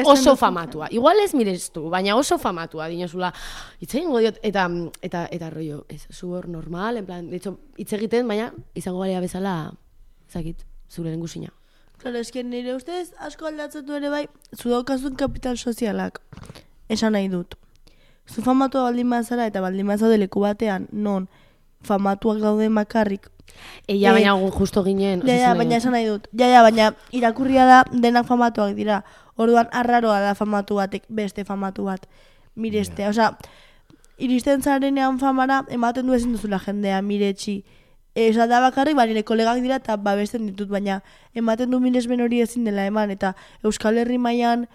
oso famatua. Igual ez mirestu, baina oso famatua, dinozula, hitz egingo diot, eta rollo, ez, zu hor normal, en plan, de hecho, hitz egiten, baina izango balea bezala, ezakit, zure lengusina. Claro, esken nire ustez asko aldatzen du ere bai, zu daukazun kapital sozialak. Esan nahi dut. Zu famatua baldin bazara eta baldin bazaude leku batean, non famatuak dauden bakarrik. Baina justo ginen. Baina esan nahi dut. Baina irakurria da denak famatuak dira. Orduan arraroa da famatu batek beste famatu bat. Mireste, osea, iristen zarenean famara ematen du ezin duzula jendea miretsi. Esa da bakarrik, nire kolegak dira eta babesten ditut, baina ematen du miresmen hori ezin dela eman, eta Euskal Herri mailan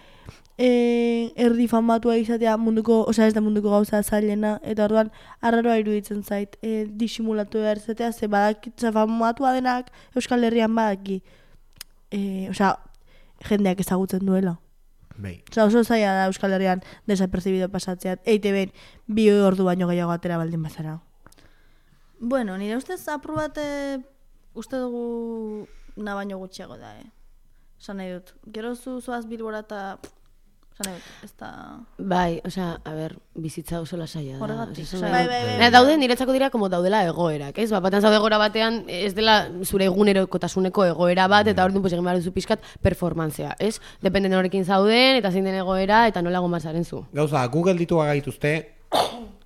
erdi famatua izatea munduko, osea ez da munduko gauza zailena, eta orduan arraroa iruditzen zait, disimulatu behar izatea, ze badakitza famatua denak Euskal Herrian badaki, osea, jendeak ezagutzen duela. Bai. Osea, oso zaila da Euskal Herrian desapercibido pasatzea, EITB-en 2 ordu baino gehiago atera baldin bazara. Bueno, nire ustez apur bat uste dugu na baino gutxiago da, Esan nahi dut. Gero zoaz Bilbora eta... Esan nahi dut, ez da... Bai, osea, a ber, bizitza oso lasaia da. Horregatik. Bai. Daude, niretzako dira como daudela egoerak, ez? Batean zaude egoera batean, ez dela zure egunerokotasuneko egoera bat, eta orduan egin behar duzu pixkat performantzea, ez? Dependen horrekin zauden, eta zein den egoera, eta nola gombazaren zu. Gauza, Google ditu gaituzte,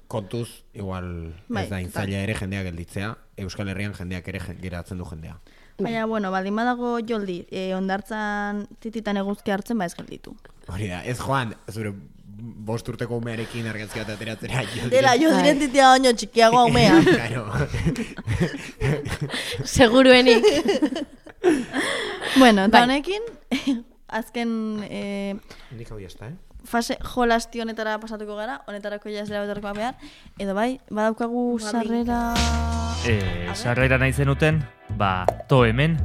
kontuz, igual Bai, ez da intzaila ere jendeak gelditzea, Euskal Herrian jendeak ere geratzen du jendea. Baina, bueno, baldin badago joldi, ondartzan tititan eguzki hartzen, ez gelditu. Hori da, ez joan, zure 5 urteko umearekin argazki bat ateratzera. Dela, jo diren titia baino txikiagoa umea. Claro. Seguruenik. Bueno, eta honekin, azken... Nik hau jazta, fase jolasti honetara pasatuko gara, honetarako ja ez dela betorrekoa behar, edo bai, badaukagu sarrera... Sarrera nahi zenuten, to hemen.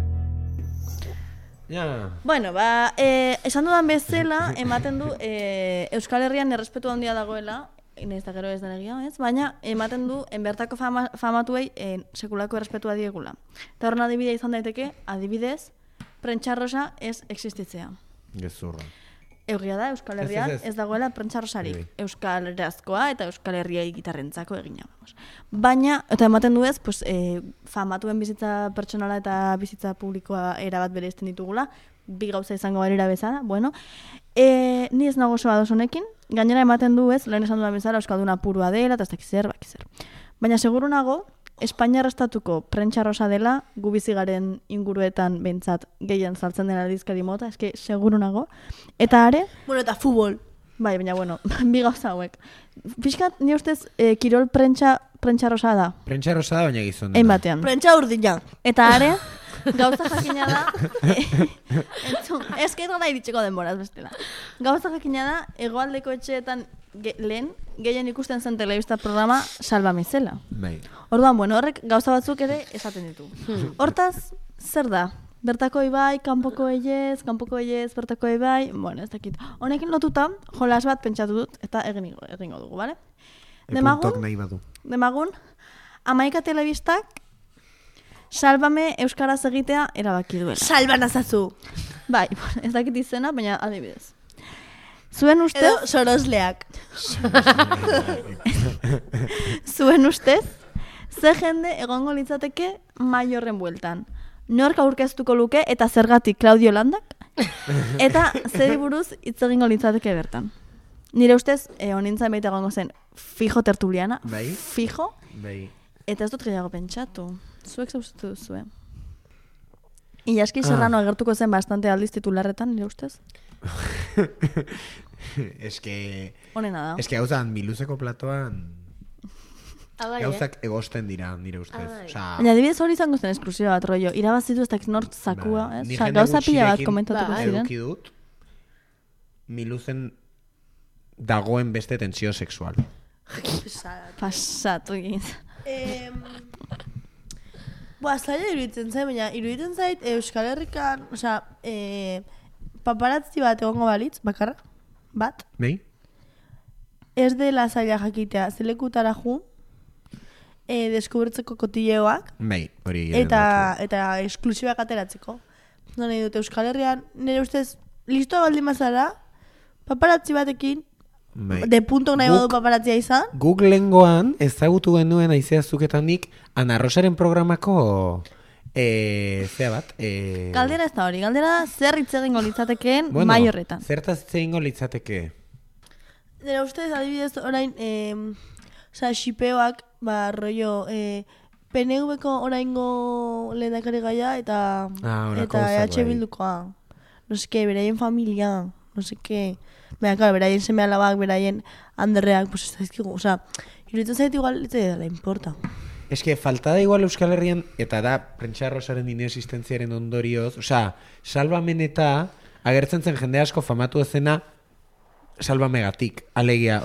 Ja. Bueno, esan dudan bezala, ematen du Euskal Herrian errespetu handia dagoela, nahiz da gero ez den egia, ez? Baina ematen du enbertako famatuei sekulako errespetua diegula. Eta horren adibidea izan daiteke, adibidez, prentxarrosa ez existitzea. Gezurra. Egia da, Euskal Herrian ez dagoela prentxarrosarik. Euskal Herriazkoa eta Euskal Herriai gitarrentzako egina. Baina, eta ematen du ez, famatuen bizitza pertsonala eta bizitza publikoa erabat bereizten ditugula, bi gauza izango garira bezala, bueno. Ni ez nago oso ados honekin, gainera ematen du ez, lehen esan dudan bezala, Euskalduna purua dela, eta ez dakizer, bakizer. Baina seguru nago, Espainiar estatuko prentxarrosa dela, gu bizi garen inguruetan behintzat gehien saltzen dena aldizkari mota, eske seguru nago. Eta are... Bueno, eta futbol. Bai, baina bueno, bi gauza hauek. Pixkat, ni ustez, kirol prentxarrosa da. Prentxarrosa da, baina gizon dena. Ein batean. Prentxa urdina. Eta are, gauza jakina da... Ez que ez gara iritseko denboraz bestela. Gauza jakina da, hegoaldeko etxeetan lehen, gehien ikusten zen telebista programa Salvame zela. Bai. Orduan, bueno, horrek gauza batzuk ere esaten ditu. Hortaz, zer da? Bertako ibai, kanpoko eiez, bertako ibai, bueno, ez dakit. Honekin lotuta, jolas bat pentsatu dut, eta egingo dugu, bale? Demagun, 11 telebistak, Salvame euskaraz egitea erabaki duela. Salban azazu. Bai, ez dakit izena, baina adibidez. Zuen ustez... Edo sorosleak. Zuen ustez, ze jende egongo litzateke mai horren bueltan. Nork aurkeztuko luke eta zergatik Claudio Landak? Eta zeri buruz hitz egingo litzateke bertan. Nire ustez, honintzen baita egongo zen fijo tertuliana. Bai. Fijo. Bai. Eta ez dut gehiago pentsatu. Zuek zauztu duzu, Ilaski Serrano agertuko zen bastante aldiz titularretan, nire ustez? Honena da. Eske gauzan, miluzeko platoan gauzak egosten dira, nire ustez. Baina adibidez hori izango zen esklusiba bat, rollo. Irabazitu ez dakit nort zakua, ez? Gauza pila bat komentatuko ziren. Eduki dut, miluzen dagoen beste tensio sexual. Pasatu egin. Zaila iruditzen zait, baina iruditzen zait Euskal Herrikan, paparazzi bat egongo balitz, bakarra, bat, Bai? ez dela zaila jakitea, zelekutara ju, deskubertzeko kotilleoak, Bai, hori eta esklusibak ateratzeko. Nahi dut Euskal Herrian, nire ustez, listoa baldin mazara, paparazzi batekin, Bai. de puntok nahi badu paparatzia izan, Guk lehengoan ezagutu genuen aizea zuketanik Ana Rosaren programako zea bat. Galdera ez da hori, galdera zer hitz egingo litzatekeen mai horretan. Zertaz hitz egingo litzateke? nire ustez, adibidez, orain, xipeoak, rollo, PNV-ko oraingo lehendakari gaia eta horako eta gauzak, bai. Bildukoa. No seke, beraien familia, no seke. Baina, claro, beraien seme alabak, beraien anderreak, pues ez daizkigu, iruditzen zait igual, ez da importa. Ez que falta da igual Euskal Herrian, eta da Prentsa Rosaren inexistentziaren ondorioz, Salvamen eta agertzen zen jende asko famatu ezena Salvamegatik, alegia,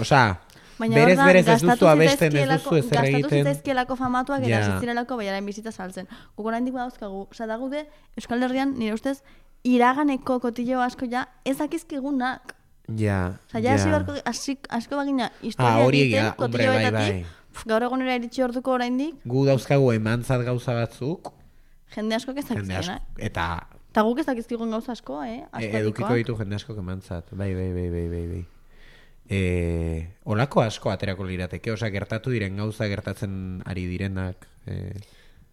berez ez duzu abesten, ez duzu ezer egiten. Gastatu zitzaizkielako famatuak eta zitzirelako baiaren bizitza saltzen. Guk oraindik badauzkagu, da gude Euskal Herrian nire ustez iraganeko kotillo asko ja ez dakizkigunak. Ja. Asko bagina historia egiten kotilloetatik. Gaur egunera iritsi orduko oraindik. Gu dauzkagu emantzat gauza batzuk. Jende asko ez dakizkigunak. Eta guk ez dakizkigun gauza asko, edukiko ditu jende asko emantzat. Bai. Olako asko aterako lirateke, gertatu diren gauza gertatzen ari direnak.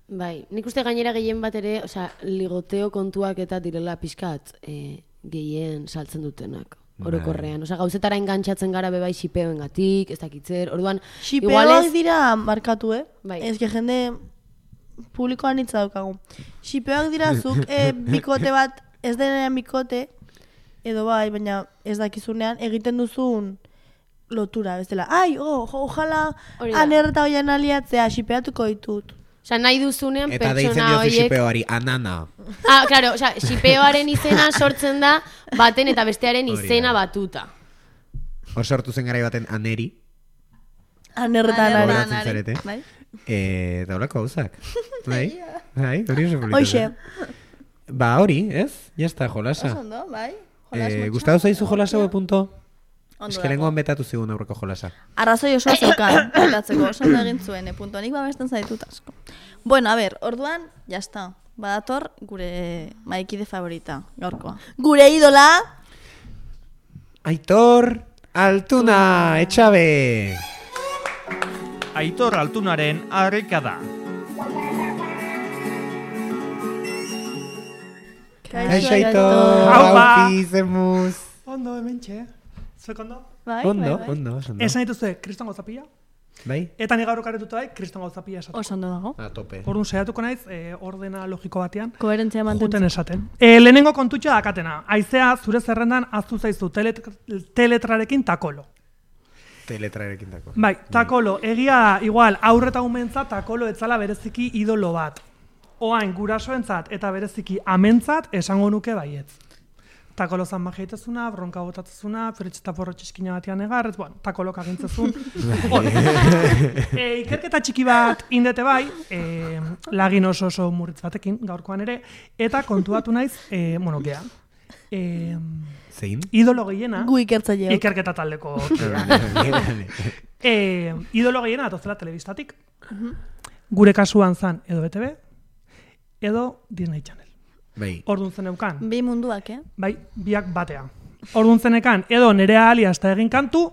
Bai, nik uste gainera gehien bat ere, ligoteo kontuak eta direla pixkat gehien saltzen dutenak. Orokorrean, gauzetara engantzatzen gara bebai xipeoengatik, ez dakitzer, orduan... Xipeoak dira markatu, Bai. Ez que jende publikoan hitza daukagu. Xipeoak dira zuk bikote bat, ez denean bikote, edo bai, baina ez dakizunean, egiten duzun lotura, ez dela. Ojala anerta hoian aliatzea, xipeatuko ditut. Nahi duzunean eta pertsona horiek... deitzen diozu xipeoari, anana. Claro, xipeoaren izena sortzen da baten eta bestearen izena batuta. Hor sortu zen garai baten aneri. Anerretan Goratzen zarete. Eta horako gauzak. Bai, hori oso polita. Hoxe. Hori, ez? Jazta, jolasa. Ondo, bai. Gustatu zaizu jolasa punto? Ondo Ez que lengoan betatu zigun aurreko jolasa. Arrazoi oso zeukan, betatzeko, oso ondo egin zuen, punto. Nik babesten zaitut asko. Bueno, a ver, orduan, jazta. Badator gure maikide favorita, gaurkoa. Gure idola... Aitor Altuna, etxabe! Aitor Altunaren arrekada. Kaixo Aitor! Haupi, zemuz! Ondo, hementxe. Zuek ondo? Ondo. Esan dituzue, kriston gauzapila. Bai? Eta ni gaur okaretuta bai, kriston gauzapila esaten. Oso ondo dago. A tope. Orduan saiatuko naiz, ordena logiko batean. Koherentzia Juten mantentzen. esaten. Lehenengo kontutxa dakatena. Aizea zure zerrendan aztu zaizu teletrarekin takolo. Teletrarekin tako. Bai, takolo. Egia igual, aurreta umentzat takolo etzala bereziki idolo bat. Oain gurasoentzat eta bereziki amentzat esango nuke baietz. Takolo zan majeitezuna, bronka botatzezuna, feritxeta porro txiskina batian egarrez, takolok agintzezun. Ikerketa txiki bat indete bai, lagin oso murritz batekin, gaurkoan ere, eta kontuatu naiz, gea. Zein? Idolo gehiena, Gu ikertzaileok. ikerketa taldeko. Idolo gehiena atozela telebistatik. Gure kasuan zan edo BTV, edo Disney Channel. Bai. Orduan zeneukan. Bi munduak, Bai, biak batea. Orduan zenekan, edo Nerea Alias eta egin kantu,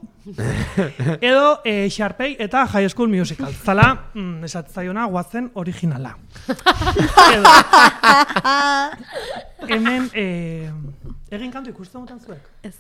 edo Sharpay eta High School Musical. Zala, esatzaiona guazen originala. Edo. Hemen, egin kantu ikusten mutan zuek? Ez.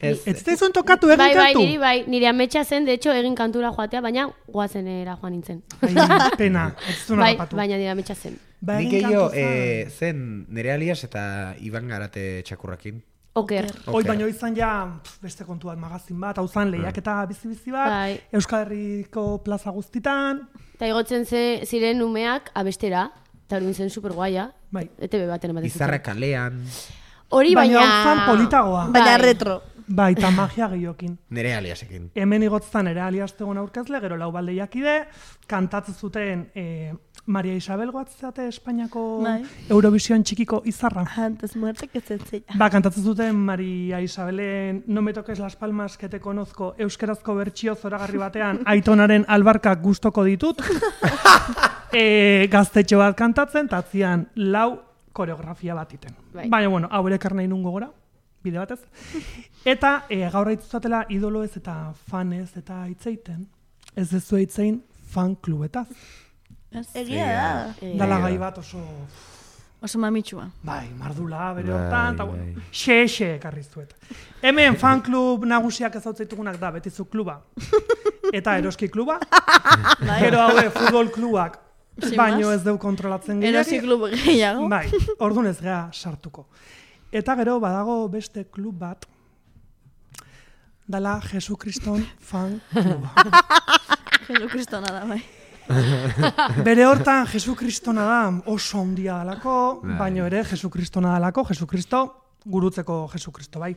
Ez zaizun tokatu egin kantu? Bai, nire ametsa zen, de hecho, egin kantura joatea, baina guazenera joan nintzen. Ai, pena, ez zuen Bai, harrapatu. baina nire ametsa zen. Ba, Nik egin eio, kantu zan. zen Nerea Alias eta Iban Garate txakurrakin. Oker. Hoi baino izan ja beste kontu bat, magazin bat, hau zan lehiaketa bizi-bizi bat, Bai. Euskal Herriko plaza guztitan. Eta igotzen ziren umeak abestera, eta hori zen super guaia. Bai. ETV baten ematen zuten. Izarra kalean. Hori Baina baina... hau zan politagoa. Baina Bai. retro. Bai, eta magia gehiokin. Nere aliasekin. Hemen igotztan ere aliaztegon aurkezle, gero lau baldeiakide, kantatzen zuten Maria Isabel goatzate Espainiako Bai. Eurovision txikiko izarra. Antes muerte que zetzea. Ba, kantatzen zuten Maria Isabelen No me toques las palmas que te conozco euskerazko bertsio zoragarri batean Aitonaren albarkak gustoko ditut. Gaztetxo bat kantatzen, tatzian lau koreografia bat iten. Bai. Baina, bueno, hau ere karnahi nungo gora, bide batez. Eta gaur aitzuzatela idoloez eta fanez eta hitzeiten. Ez dezu hitzein fan klubetaz. Egia da. Dala gai bat Oso mamitsua. bai, mardula, bere Bai, hortan, eta bai. bueno, xe ekarri zuet. Hemen fan klub nagusiak ezautzaitugunak da, Betizu kluba. Eta Eroski kluba. Gero haue futbol klubak. Sin Baino más. ez deu kontrolatzen Erosi klub gehiago. Bai, orduan ez gea sartuko. Eta gero badago beste klub bat, dala Jesukriston fan kluba. Jesukristona da, bai. Bere hortan Jesukristona da oso handia dalako, Bai. baino ere Jesukristona dalako, Jesukristo gurutzeko Jesukristo, bai.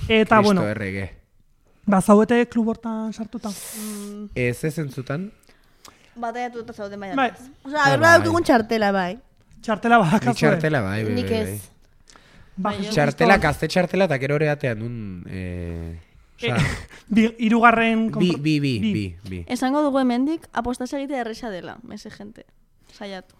Eta, Kristo bueno, errege. bazauete klub hortan sartuta. Ez entzutan? Bataiatu eta zauden baina. Bai, Osa, berba daukagun txartela, bai. txartela Ni badakazue. txartela, bai. Nik ez. Ba, Bai, Jesucristo- Txartela, gazte txartela, eta gero horeatean un... Osa, Hirugarren... bi. Esango dugu hemendik apostasia egitea erresa dela, mese gente. Saiatu.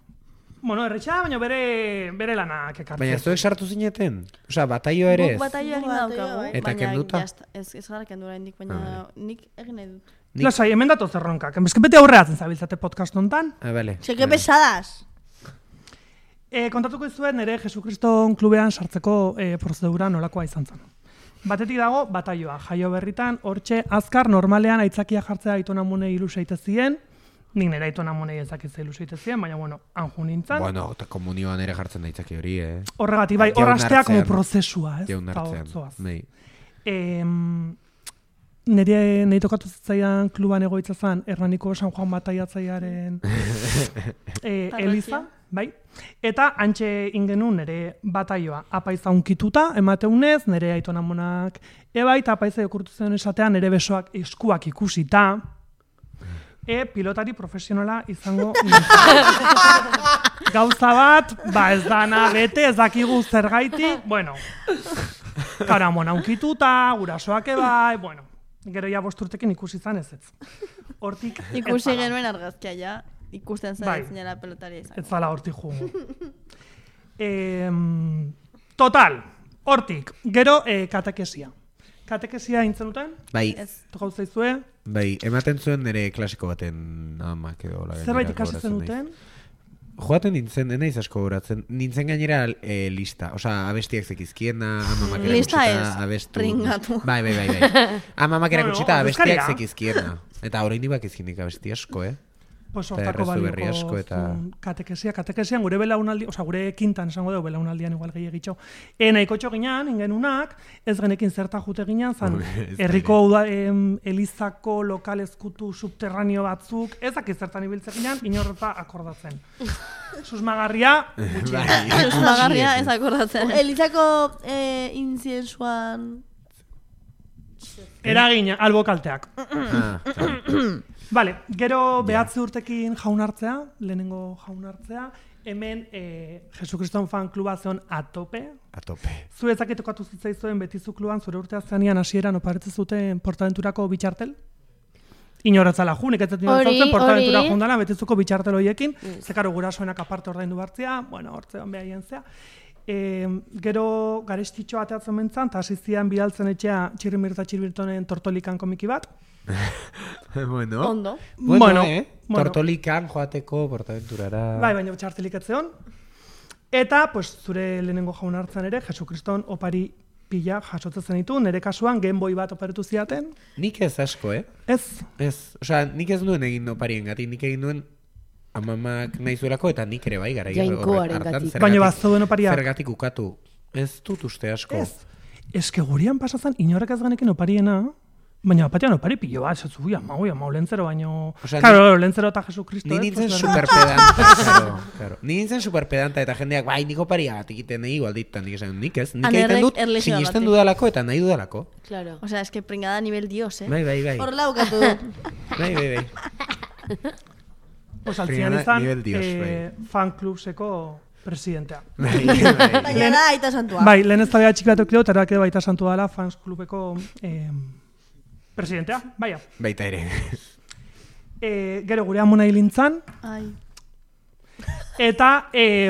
Bueno, erretxa, baina bere lanak ekartzen. Baina zuek sartu zineten? Osa, bataio ere ez? Guk bataio egin Bataio, daukagu, bai. Eta baina kenduta? jazta, ez gara kendu oraindik, baina nik egin nahi dut. Lasai, hemen datoz erronkak. Ez que bete aurreatzen zabiltzate podcast hontan. Ah, bale. Seke pesadas. Kontatuko izuet nire Jesukriston klubean sartzeko prozedura nolakoa izan zen. Batetik dago, bataioa. Jaio berritan, hortxe, azkar, normalean aitzakia jartzea aitonamune iluseite zien. Nik nire aitonamune ezakitzea iluseite zien, baina, bueno, anju nintzen. Bueno, eta komunioan ere jartzen daitzaki hori, Horregatik, bai, Jaun horrastea como hartzean. prozesua, ez? Jaun Eta hartzean. hortzoaz. Nei. Nire tokatu zitzaidan kluban egoitza zen, Hernaniko San Juan Bataiatzaiaren Eliza, bai? Eta antxe ingenun nire bataioa apaiza unkituta, emateunez, nire aitonamonak bai, eta apaiza okurtu zen esatean nire besoak eskuak ikusita, pilotari profesionala izango gauza bat, ba ez dana bete, ez dakigu zergaitik, bueno, karamona unkituta, gurasoak bai, bueno, gero ja 5 urtekin ikusi izan ez. Hortik Ikusi ez zala. genuen argazkia ja, ikusten Bai. zen zinela pelotaria izan. Ez zala hortik jugu. Total, hortik, gero katekesia. Katekesia intzen duten, Bai, tokau zaizue, bai, ematen zuen nire klasiko baten amak edo la zerbait gainera ikasi gogoratzen zen naiz. duten, Joaten nintzen, naiz asko goratzen. Nintzen gainera lista. Osa, abestiak zekizkiena, amamak Lista erakutsita, ez, abestu. pringatu. Bai. Amamak Bueno, erakutsita, abestiak ordezkaria. zekizkiena. Eta orain bakizkinik abesti asko, pues Eta hortako errezu berri balioko asko eta- katekesian gure belaunaldi, osea gure kintan esango dugu belaunaldian igual gehiagitxo. Nahikotxo ginean, ingenunak, ez genekin zerta jute ginean, zan Ez herriko elizako lokal ezkutu subterraneo batzuk, ezak zertan ibiltzen ginean, inorreta akordatzen. Susmagarria, gutxi. Bai. Susmagarria ez akordatzen. Elizako inziensuan... Eragina, albokalteak. Ah, Vale, gero behatzi urtekin jaun hartzea, lehenengo jaun hartzea, hemen Jesukriston fan kluba zeon atope. a tope. Zu ezakitokatu zitzaizuen Betizu kluban zure urtea zeanian hasieran oparetzen zuten Portaventurako bitxartel? Inorretzala jun, iketzen Hori, zen Portaventura hori. jundala Betizuko bitxartel horiekin, zekaro gurasoenak aparte ordaindu bartzea, bueno, hortzean behaien zea. Gero garestitxo ateatzen mentzan, eta hasi zian bidaltzen etxea Txirrimirta Txirbirtonen Tortolikan komiki bat. Bueno. Ondo. Bueno. Tortolikan joateko Portaventurara. Bai, baina txartelik etzeon. Eta, pues, zure lehenengo jaun hartzen ere, Jesukriston opari pila jasotzen zenitu, nire kasuan Game Boy bat operetu ziaten. Nik ez asko, Ez, Ez, osea, nik ez nuen egin oparien gatik, nik egin nuen amamak nahi zuelako, eta nik ere bai gara. Jainkoarengatik. baina bazeuden opariak. Zergatik ukatu. Ez dut uste asko. Ez. Eske gurian pasatzen inorrek ez genekin opariena, Baina batean opari pilo bat, esatzu, amau, lentzero baino... Osea, Claro, lentzero eta Jesukristo. Ni ez? nintzen Pues, superpedanta, claro. Ni nintzen superpedanta eta jendeak, bai, niko paria bat egiten nahi igualditan, nik esan, nik ez. Nik Anerrek egiten dut, erlexioa sinisten batek. dudalako eta nahi dudalako. Claro. O sea, es que pringada nivel dios, Bai. Horrela bukatu du. Bai. Pues altzian Primera nivel izan, dios, bai. fan clubseko presidentea. Baina da, aita santua. Bai, lehen ez da txiki bat eukidot, eta edo baita santu dela fans klubeko presidentea, baina. Baita ere. Gero gure amona hilintzan, Ai. eta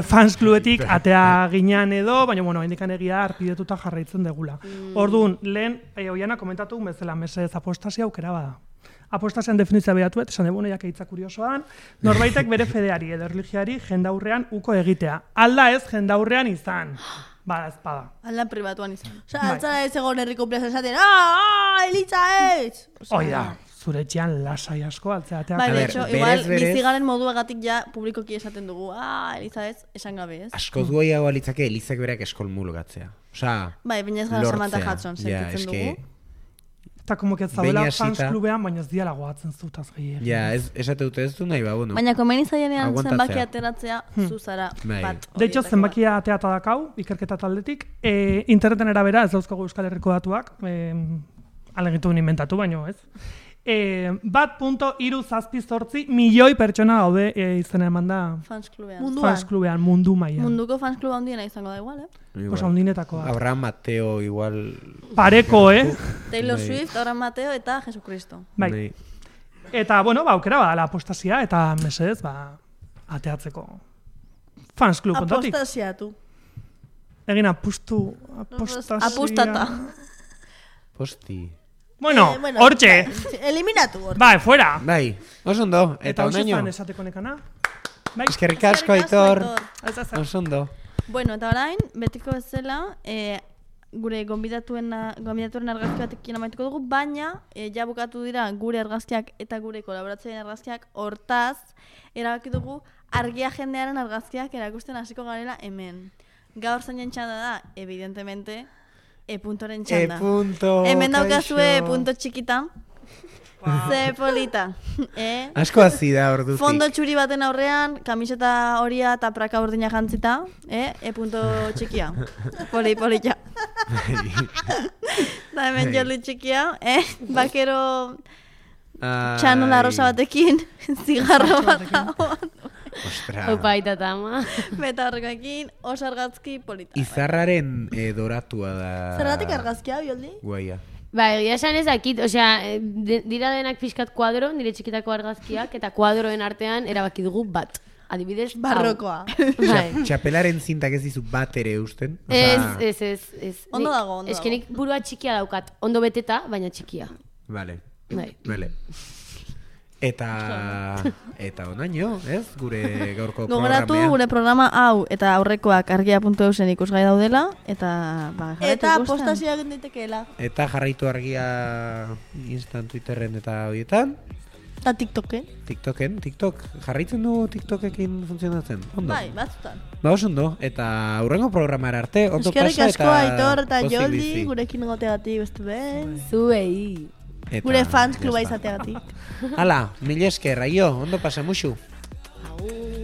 fans klubetik atea ginean edo, baina, bueno, hendikan egia arpidetuta jarraitzen degula. Orduan, lehen, oiana komentatu bezala mesedez apostasia aukera bada. Apostasian definizia behatuet, esan debuna jake hitza kuriosoan, norbaitek bere fedeari edo erligiari jendaurrean uko egitea. Alda ez jendaurrean izan. Bada ezpada. Aldan pribatuan izan. Osa, Bai. altzara ez egon herriko plaza esaten, Elitza ez! Hoi da, zure etxean lasai asko altzeateak. Bai, A de ver, hecho, berez, igual berez. bizigaren moduagatik ja publikoki esaten dugu. Eliza ez, esan gabe ez. Askoz goiago alitzake Elizak berak eskolmulugatzea. Osea, Bai, baina ez gara lortzea. Samantha Hudson Ja, sentitzen eske, dugu. Eta como que ez zaudela Behin fans hasita- klubean, baina ez diala goatzen zutaz gehiagin. ja, esate dute ez du nahi, ba, bueno. Baina komeni zaienean Aguantatzea. zenbaki ateratzea zuzara Bai. bat. De hecho, horietako zenbakia ateata dakau, ikerketa taldetik. Interneten erabera, ez dauzkagu Euskal Herriko datuak, alegitu inventatu, baino ez. 1.378 milioi pertsona gaude izena eman da bat. Fans klubean. Munduan. fans klubean, mundu mailan. Munduko fans kluba handiena izango da igual, Pues handinetako da. Abraham Mateo igual... Pareko, Taylor Bai. Swift, Abraham Mateo eta Jesucristo. Bai. Eta, bueno, aukera badala apostasia, eta mesedez, ateatzeko. Fans klub ondotik. Apostasiatu. Egin apostasia. Apustata. Bueno, Bueno, hortxe. Eliminatu hor. Bai, fuera. Bai, oso ondo, Eta eta hoxe onaino. zan esateko nekana. Bai, Eskerrik asko, Aitor. ez da zer. Oso ondo. Bueno, eta orain, betiko bezala, gure gonbidatuen argazki batekin amaituko dugu, baina ja bukatu dira gure argazkiak eta gure kolaboratzaile argazkiak, hortaz, erabaki dugu argia jendearen argazkiak erakusten hasiko garela hemen. Gaur zainen txanda da, evidentemente, puntoren txanda. Punto, Hemen daukazue kaixo. punto txikita. Ze polita. Asko hazi da ordutik. Fondo txuri baten aurrean, kamiseta horia eta praka urdina jantzita, punto txikia. Polita. Da hemen joli txikia, bakero txanola rosa batekin, zigarro bat dagoen. Ostra. Opa eta tama. Beta horrekoekin, oso argazki polita. Izarraren doratua da. Zergatik argazkia, Bioldi? Guaia. Ba, egia esan ez dakit, osea, dira denak pixkat kuadro, nire txikitako argazkiak, eta kuadroen artean erabaki dugu bat. Adibidez, hau. Barrokoa. Bai. Txapelaren zintak ez dizu bat ere usten. Ez. Ondo dago, ondo Eske nik burua txikia daukat, ondo beteta, baina txikia. Vale. Bai. Eta onaino, ez? Gure gaurko Gogoratu programea. gure programa hau eta aurrekoak argia.eusen ikusgai daudela, eta jarraitu Eta ikusten. apostasia egin daitekeela. Eta jarraitu argia Instan, Twitterren eta horietan. Eta TikToken. TikTok. Jarraitzen du TikTokekin funtzionatzen. Ondo. Bai, batzutan. Ba, oso ondo. Eta hurrengo programara arte, ondo Eskerrik pasa asko eta Aitor eta pozik Joldi, bizi. gurekin egoteagatik beste behin. Zuei. Eta Gure fans kluba ya está. izateagatik. Hala, mila esker, aio, ondo pasa musu. Agur.